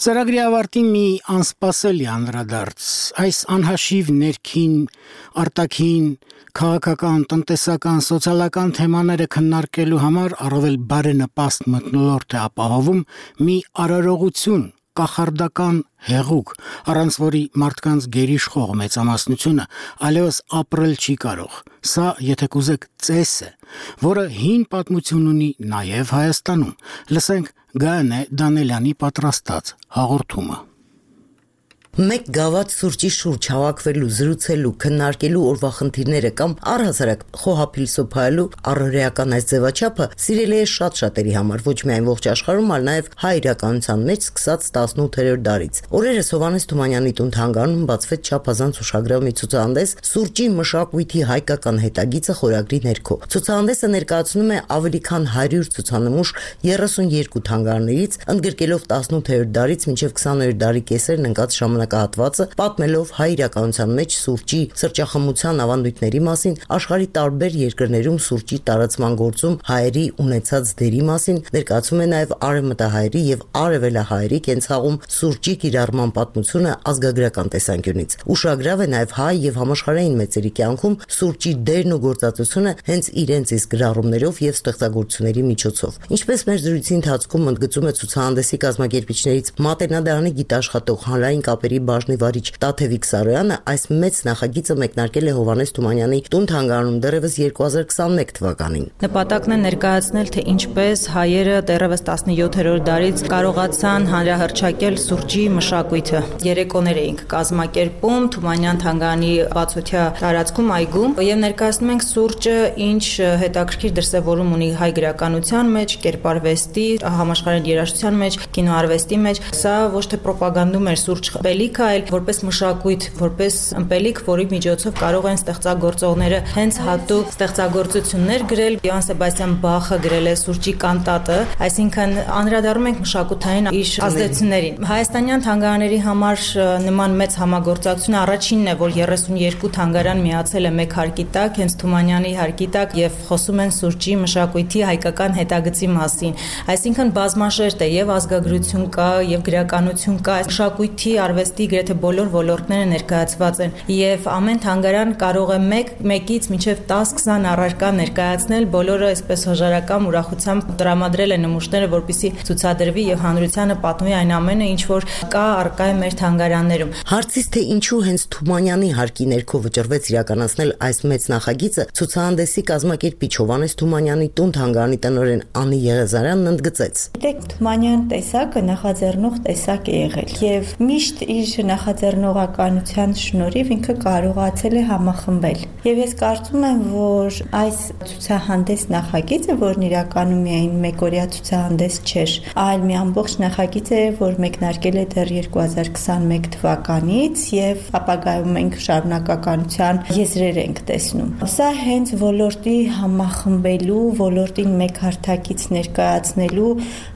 Ծրագրի ավարտին մի անսպասելի անդրադարձ։ Այս անհաշիվ ներքին, արտաքին, քաղաքական, տնտեսական, սոցիալական թեմաները քննարկելու համար առավել բարենպաստ մթնոլորտ է ապահովում մի արարողություն, կախարդական հեղուկ, առանց որի մարդկանց գերիշխող մեծամասնությունը այլևս ապրել չի կարող։ Սա, եթե կուզեք, ծես է, որը հին պատմություն ունի նաև Հայաստանում։ Լսենք Գայանե Դանելյանի պատրաստած հաղորդումը։ Մեկ գավաթ սուրճի շուրջ հավաքվելու, զրուցելու, քննարկելու օրվա խնդիրները կամ առհասարակ խոհափիլսոփայելու առօրեական այս ձևաչափը սիրելի է շատ շատերի համար, ոչ միայն ողջ աշխարհում, այլ նաև հայ իրականության մեջ սկսած տասնութերորդ դարից։ Օրերս Հովհաննես Թումանյանի տուն-թանգարանում բացվեց չափազանց ուշագրավ մի ցուցահանդես «Սուրճի մշակույթի հայկական հետագիծը» խորագրի ներքո։ Ցուցահանդեսը ներկայացնում է ավելի քան հարյուր ցուցանմուշ երեսունյոթ թանգարներից, ընդգրկելով տասնութերորդ դարից մինչև քսաներորդ դարի կեսերն ընկած ժամանակահատվածը, պատմելով հայ իրականության մեջ սուրճի սրճախմության ավանդույթների մասին, աշխարհի տարբեր երկրներում սուրճի տարածման գործում հայերի ունեցած դերի մասին, ներկայացում է նաև արևմտահայերի եւ արևելահայերի կենցաղում սուրճի կիրառման պատմությունը ազգագրական տեսանկյունից։ Ուշագրավ է նաև հայ եւ համաշխարհային մեծերի կյանքում սուրճի դերն ու գործածությունը հենց իրենց իսկ գրառումներով եւ ստեղծագործությունների միջոցով։ Ինչպես մեր զրույցի ընթացքում ընդգծում է ցուցահանդեսի կազմակերպիչներից Մատենադարանի գիտաշխատող հանրային կապերի բաժնի վարիչ Տաթևիկ Սարոյանը, այս մեծ նախագիծը մեկնարկել է Հովհաննես Թումանյանի տուն-թանգարանում դեռևս երկու հազար քսաներորդ թվականին։ Նպատակն է ներկայացնել, թե ինչպես հայերը դեռևս տասնյոթերորդ դարից կարողացան հանրահռչակել սուրճի մշակույթը։ Երեկոներ էինք կազմակերպում Թումանյան թանգարանի բացօթյա տարածքում այգում եւ ներկայացնում ենք սուրճը ինչ հետաքրքիր դրսևորում ունի հայ գրականության մեջ, կերպարվեստի, համաշխարհային երաժշտության մեջ, կինոարվեստի մեջ։ Սա ոչ թե պրոպագանդում էր սուրճ ըմպելիքը, այլ որպես մշակույթ, որպես ըմպելիք, որի միջոցով կարող են ստեղծագործողները հենց հատուկ ստեղծագործություններ գրել։ Յոհան Սեբաստիան Բախը գրել է սուրճի կանտատը, այսինքն անդրադառնում ենք մշակութային իր ազդեցություններին։ Հայաստանյան թանգարանների համար նման մեծ համագործակցությունը առաջինն է, որ երեսունյոթ թանգարան միացել է մեկ հարկի տակ, հենց Թումանյանի հարկի տակ, եւ խոսում են սուրճի մշակույթի հայկական հետագծի մասին։ Այսինքն բազմաշերտ է, եւ ազգագրություն կա, եւ գրականություն կա, մշակույթի, արվեստի գրեթե բոլոր ոլորտները ներկայացված են, եւ ամեն թանգարան կարող է մեկ մեկից մինչև դես քսան առարկա ներկայացնել, բոլորը այսպես հոժարակամ ուրախությամբ տրամադրել են նմուշները, որպեսզի ցուցադրվի եւ հանրությանը պատմի այն ամենը, ինչ որ կա առկա է մեր թանգարաններում։ Հարցից թե ինչու հենց Թումանյանի հարկի ներքո վճռվեց իրականացնել այս մեծ նախագիծը, ցուցահանդեսի կազմակերպիչ Հովհաննես Թումանյանի տուն-թանգարանի տնօրեն Անի Եղեզարյանն ընդգծեց։ Դեք Թումանյան տեսակը նախաձեռնող տեսակ է եղել եւ միշտ իր նախաձեռնողականության շնորհիվ ինքը կարողացել է համախմբել։ Եվ ես կարծում եմ, որ այս ցուցահանդես նախագիծը, որն իրականում միայն մեկօրյա ցուցահանդես չէր, այլ մի ամբողջ նախագիծ է, որ մեկնարկել է դեռ երկու հազար քսաներորդ թվականից եւ ապագայում մենք շարունակականության եզրեր ենք տեսնում։ Սա հենց ոլորտի համախմբելու, ոլորտին մեկ հարթակից ներկայացնելու,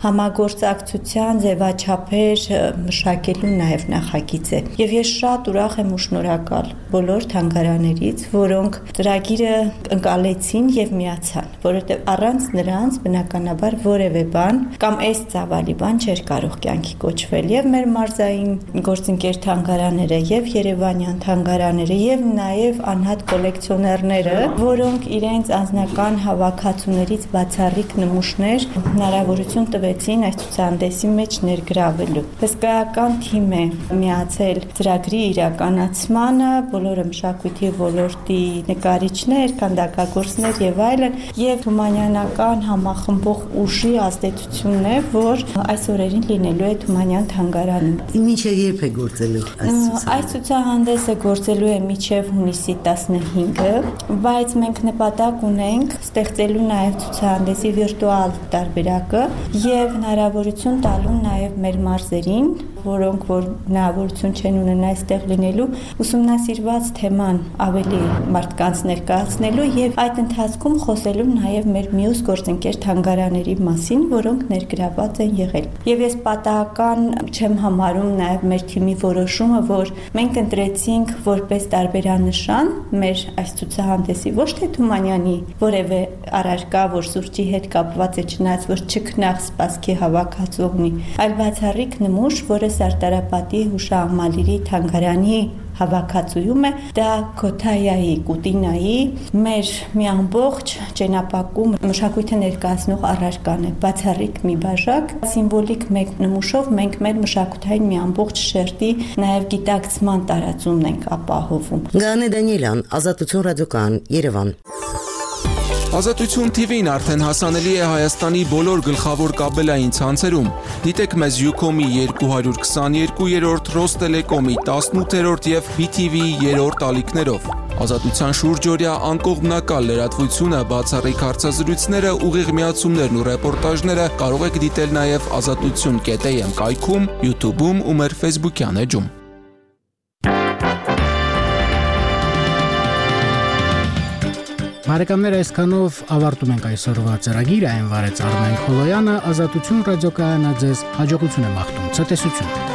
համագործակցության ձևաչափեր մշակելու նաև նախագիծ է։ Եվ ես շատ ուրախ եմ ու շնորհակալ բոլոր թանգարաններից, որոնք ծրագիրը ընկալեցին եւ միացան, որովհետեւ առանց նրանց բնականաբար որևէ բան կամ այս ծավալի բան չէր կարող կյանքի կոչվել։ Եվ մեր մարզային գործընկեր թանգարանները, եւ Երևանյան թանգարանները, եւ նաեւ անհատ կոլեկցիոներները, որոնք իրենց անձնական հավաքածուներից բացառիկ նմուշներ հնարավորություն տվեցին այս ցուցահանդեսի մեջ ներգրավելու։ Հսկայական թիմ է միացել ծրագրի իրականացմանը, բոլորը մշակույթի ոլորտի նկարիչներ, քանդակագործներ եւ այլն, եւ թումանյանական համախմբող ուժի ազդեցությունն է, որ այս օրերին լինելու է Թումանյան թանգարանում։ Մինչև երբ է գործելու այս Այս ցուցահանդեսը գործելու է մինչև հունիսի տասնհինգը, բայց մենք նպատակ ունենք ստեղծելու նաեւ ցուցահանդեսի վիրտուալ տարբերակը եւ հնարավորություն տալու նաեւ մեր մարզերին, որոնք որ հնարավորություն չեն ունենա այստեղ լինելու, ուսումնասիրված թեման ավելի մարդկանց ներկայացնելու եւ այդ ընթացքում խոսելու նաեւ մեր մյուս գործընկեր թանգարաների մասին, որոնք ներգրաված են եղել։ Եվ ես պատահական չեմ համարում նաեւ մեր թիմի որոշումը, որ մենք ընտրեցինք որպես տարբերանշան մեր այս ցուցահանդեսի ոչ թե Թումանյանի որևէ առարկա, որ սուրճի հետ կապված է, չնայած որ չքնաղ սպասքի հավաքածու ունի, այլ բացառիկ նմուշ, որը Սարտարապատի հուշահամալիրի թանգարանի հավաքածուում է, դա Քոթայայի, Կուտինայի մեր մի ամբողջ ճենապակում մշակույթը ներկայացնող առարկան է, բացառիկ մի բաժակ, սիմվոլիկ մեկ նմուշով մենք մեր մշակութային մի ամբողջ շերտի նաև գիտակցման տարածումն ենք ապահովում։ Գանե Դանիելյան, Ազատություն ռադիոկայան, Երևան։ Ազատություն թի վին արդեն հասանելի է Հայաստանի բոլոր գլխավոր կաբելային ցանցերում։ Դիտեք մեզ Յուկոմի երկու հարյուր քսաներկուերորդ, Ռոստելեկոմի տասնութերորդ եւ բի թի վիի երրորդ ալիքներով։ Ազատության շուրջօրյա անկողմնակալ լրատվությունը, բացառիկ հարցազրույցները, ուղիղ միացումներն ու ռեպորտաժները կարող եք դիտել նաեւ ազատություն կետ էյ էմ կայքում, YouTube-ում ու մեր Facebook-յան էջում։ Բարեկամներ, այսքանով ավարտում ենք այսօրվա ծրագիրը, այն վարեց Արմեն Խոլոյանը, Ազատություն ռադիոկայանը ձեզ հաջողություն է մաղթում, ցտեսություն։